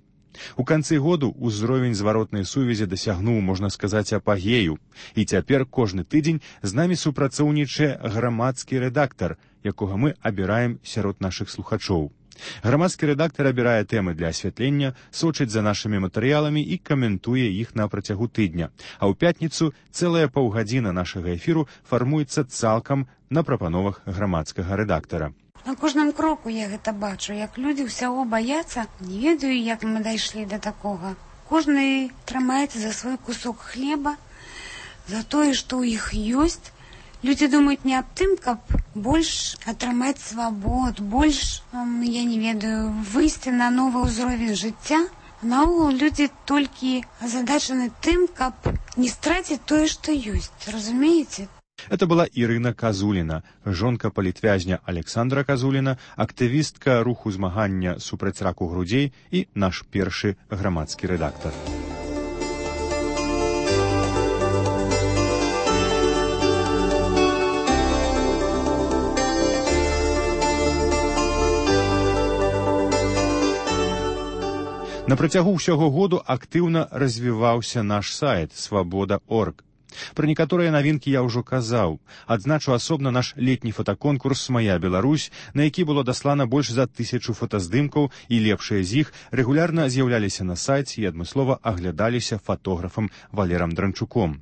У канцы году ўзровень зваротнай сувязі дасягнуў, можна сказаць, апагею. І цяпер кожны тыдзень з намі супрацоўнічае грамадскі рэдактар, якога мы абіраем сярод нашых слухачоў. Грамадскі рэдактар абірае тэмы для асвятлення, сочыць за нашымі матэрыяламі і каментуе іх на працягу тыдня. А ў пятніцу цэлая паўгадзіна нашага эфіру фармуецца цалкам на прапановах грамадскага рэдактара. На кожным кроку я гэта бачу, як людзі ўсяго баяцца, не ведаю, як мы дайшлі да такога. Кожны трымаецца за свой кусок хлеба, за тое, што ў іх ёсць. Людзі думаюць не аб тым, каб больш атрымаць свабод, больш, я не ведаю, выйсці на новы ўзровень жыцця. Наогул людзі толькі азадачаны тым, каб не страціць тое, што ёсць. Разумееце? Это была Ірына Казуліна, жонка палітвязня Александра Казуліна, актывістка руху змагання супраць раку грудзей і наш першы грамадскі рэдактар. На працягу ўсяго году актыўна развіваўся наш сайт свабода точка орг. Пра некаторыя навінкі я ўжо казаў. Адзначу асобна наш летні фотаконкурс «Мая Беларусь», на які было даслана больш за тысячу фотаздымкаў, і лепшыя з іх рэгулярна з'яўляліся на сайце і адмыслова аглядаліся фотографам Валерам Дранчуком.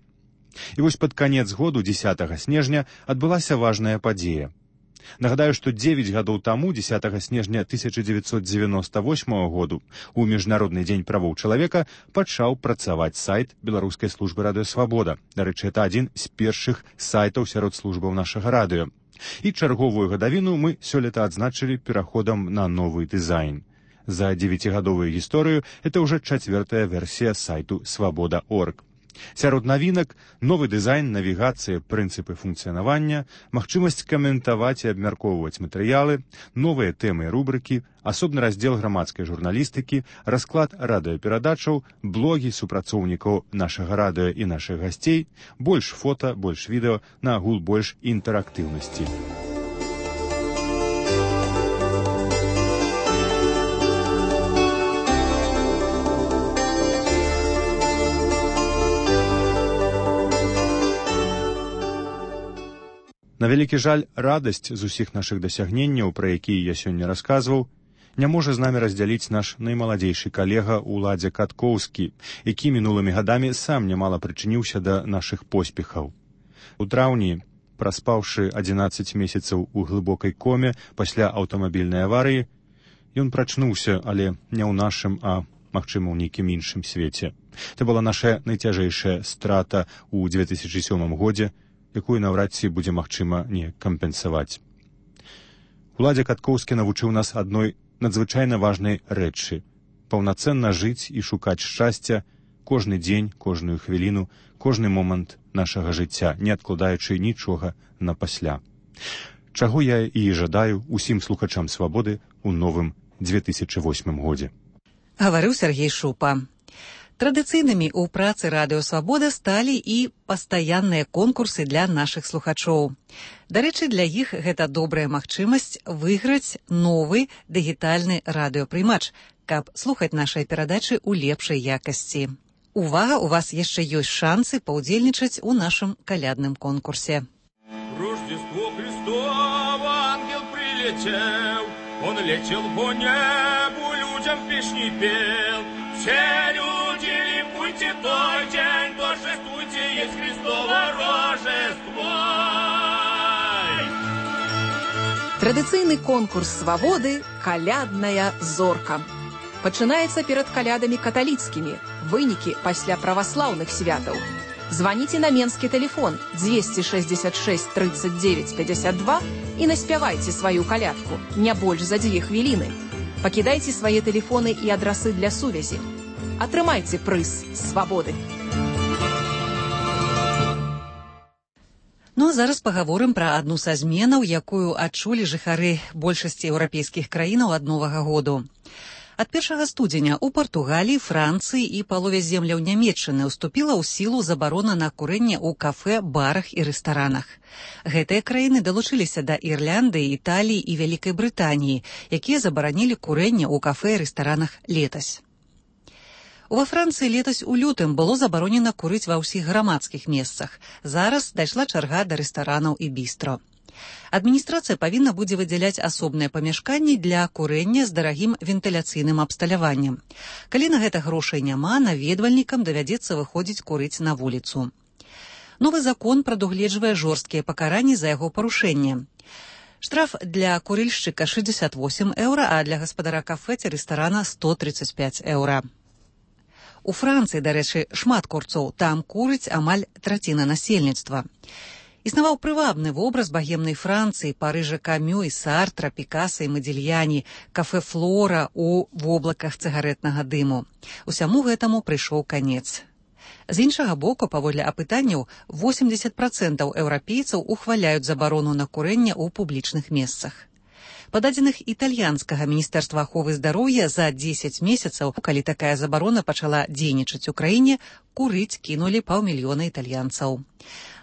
І вось пад канец году, дзесятага снежня, адбылася важная падзея. Нагадаю, што дзевяць гадоў таму, дзесятага снежня тысяча дзевяцьсот дзевяноста восьмага году, у Міжнародны дзень правоў чалавека пачаў працаваць сайт Беларускай службы радыё «Свабода». Дарэчы, это адзін з першых сайтаў сярод службаў нашага радыё. І чарговую гадавіну мы сёлета адзначылі пераходам на новы дызайн. За дзевяцігадовую гісторыю это ўжо чацвёртая версія сайту свабода точка орг. Сярод навінак новы дызайн, навігацыя, прынцыпы функцыянавання, магчымасць каментаваць і абмяркоўваць матэрыялы, новыя тэмы і рубрыкі, асобны раздзел грамадскай журналістыкі, расклад радыёперадачаў, блогі супрацоўнікаў нашага радыё і нашых гасцей, больш фота, больш відэо, на агул больш інтэрактыўнасці. На вялікі жаль, радасць з усіх нашых дасягненняў, пра якія я сёння расказваў, не можа з намі раздзяліць наш наймаладзейшы калега Уладзя Каткоўскі, які мінулымі гадамі сам нямала прычыніўся да нашых поспехаў. У траўні, праспаўшы адзінаццаць месяцаў у глыбокай коме пасля аўтамабільнай аварыі, ён прачнуўся, але не ў нашым, а, магчыма, ў нейкім іншым свеце. Це была наша найцяжэйшая страта ў дзве тысячы сёмым годзе, якую наўрад ці будзе магчыма не кампенсаваць. Уладзя Каткоўскі навучыў нас адной надзвычайна важнай рэчы — паўнацэнна жыць і шукаць шчасця кожны дзень, кожную хвіліну, кожны момант нашага жыцця, не адкладаючы нічога на пасля. Чаго я і жадаю усім слухачам свабоды ў новым дзве тысячы восьмым годзе. Гаварыў Сергей Шупа. Традыцыйнымі ў працы радыё «Свабода» сталі і пастаянныя конкурсы для нашых слухачоў. Дарэчы, для іх гэта добрая магчымасць выйграць новы дыгітальны радыёпрымач, каб слухаць нашыя перадачы ў лепшай якасці. Увага, у вас яшчэ ёсць шансы паўдзельнічаць у нашым калядным конкурсе. Рождество Христово, ангел прилетел, он летел по небу, людям песни пел. Все люди, ликуйте той день, торжествуйте, есть Христово Рождество. Традыцыйны конкурс свабоды «Калядная зорка». Пачынаецца перад калядамі каталіцкімі, вынікі пасля праваслаўных святаў. Званіце на менскі тэлефон дзвесце шэсцьдзесят шэсць тридцать девять пятьдесят два і наспявайце сваю калядку, не больш за дзве хвіліны. Пакідайце свае тэлефоны і адрасы для сувязі. Атрымайце прыз свабоды. Ну а зараз пагаворым пра адну са зменаў, якую адчулі жыхары большасці еўрапейскіх краінаў ад новага году. Ад першага студзеня ў Партугаліі, Францыі і палове земляў Нямецчыны ўступіла ў сілу забарона на курэнне ў кафэ, барах і рэстаранах. Гэтыя краіны далучыліся да Ірландыі, Італіі і Вялікай Брытаніі, якія забаранілі курэнне ў кафэ і рэстаранах летась. Ува Францыі летась у лютым было забаронена курыць ва ўсіх грамадскіх месцах. Зараз дайшла чарга да рэстаранаў і бістро. Адміністрацыя павінна будзе выдзяляць асобныя памяшканні для курэння з дарагім вентыляцыйным абсталяваннем. Калі на гэта грошай няма, наведвальнікам давядзецца выходзіць курыць на вуліцу. Новы закон прадугледжвае жорсткія пакаранні за яго парушэнне. Штраф для курыльшчыка шэсцьдзесят восемь еўра, а для гаспадара кафэ ці рэстарана сто тридцать пять еўра. У Францыі, дарэчы, шмат курцоў, там курыць амаль траціна насельніцтва. Існаваў прывабны вобраз багемнай Францыі, Парыжа Камю і Сартра, Пікаса і Мадзільяні, кафэ Флора у воблаках цыгарэтнага дыму. Усяму гэтаму прыйшоў канец. З іншага боку, паводле апытанняў, восемьдесят процентаў еўрапейцаў ухваляюць забарону на курэнне ў публічных месцах. Па дадзеных італьянскага міністэрства аховы здароўя за дзесяць месяцаў, калі такая забарона пачала дзейнічаць у краіне, курыць кінулі паўмільёна італьянцаў.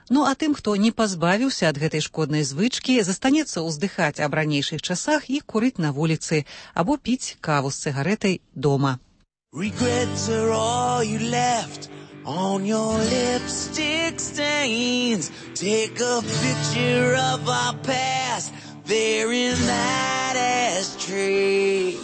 Ну а тым, хто не пазбавіўся ад гэтай шкоднай звычкі, застанецца ўздыхаць аб ранейшых часах і курыць на вуліцы або піць каву з цыгарэтай дома. Regrets are all you left on your lipstick stains. Take a picture of our past there in that ashtray.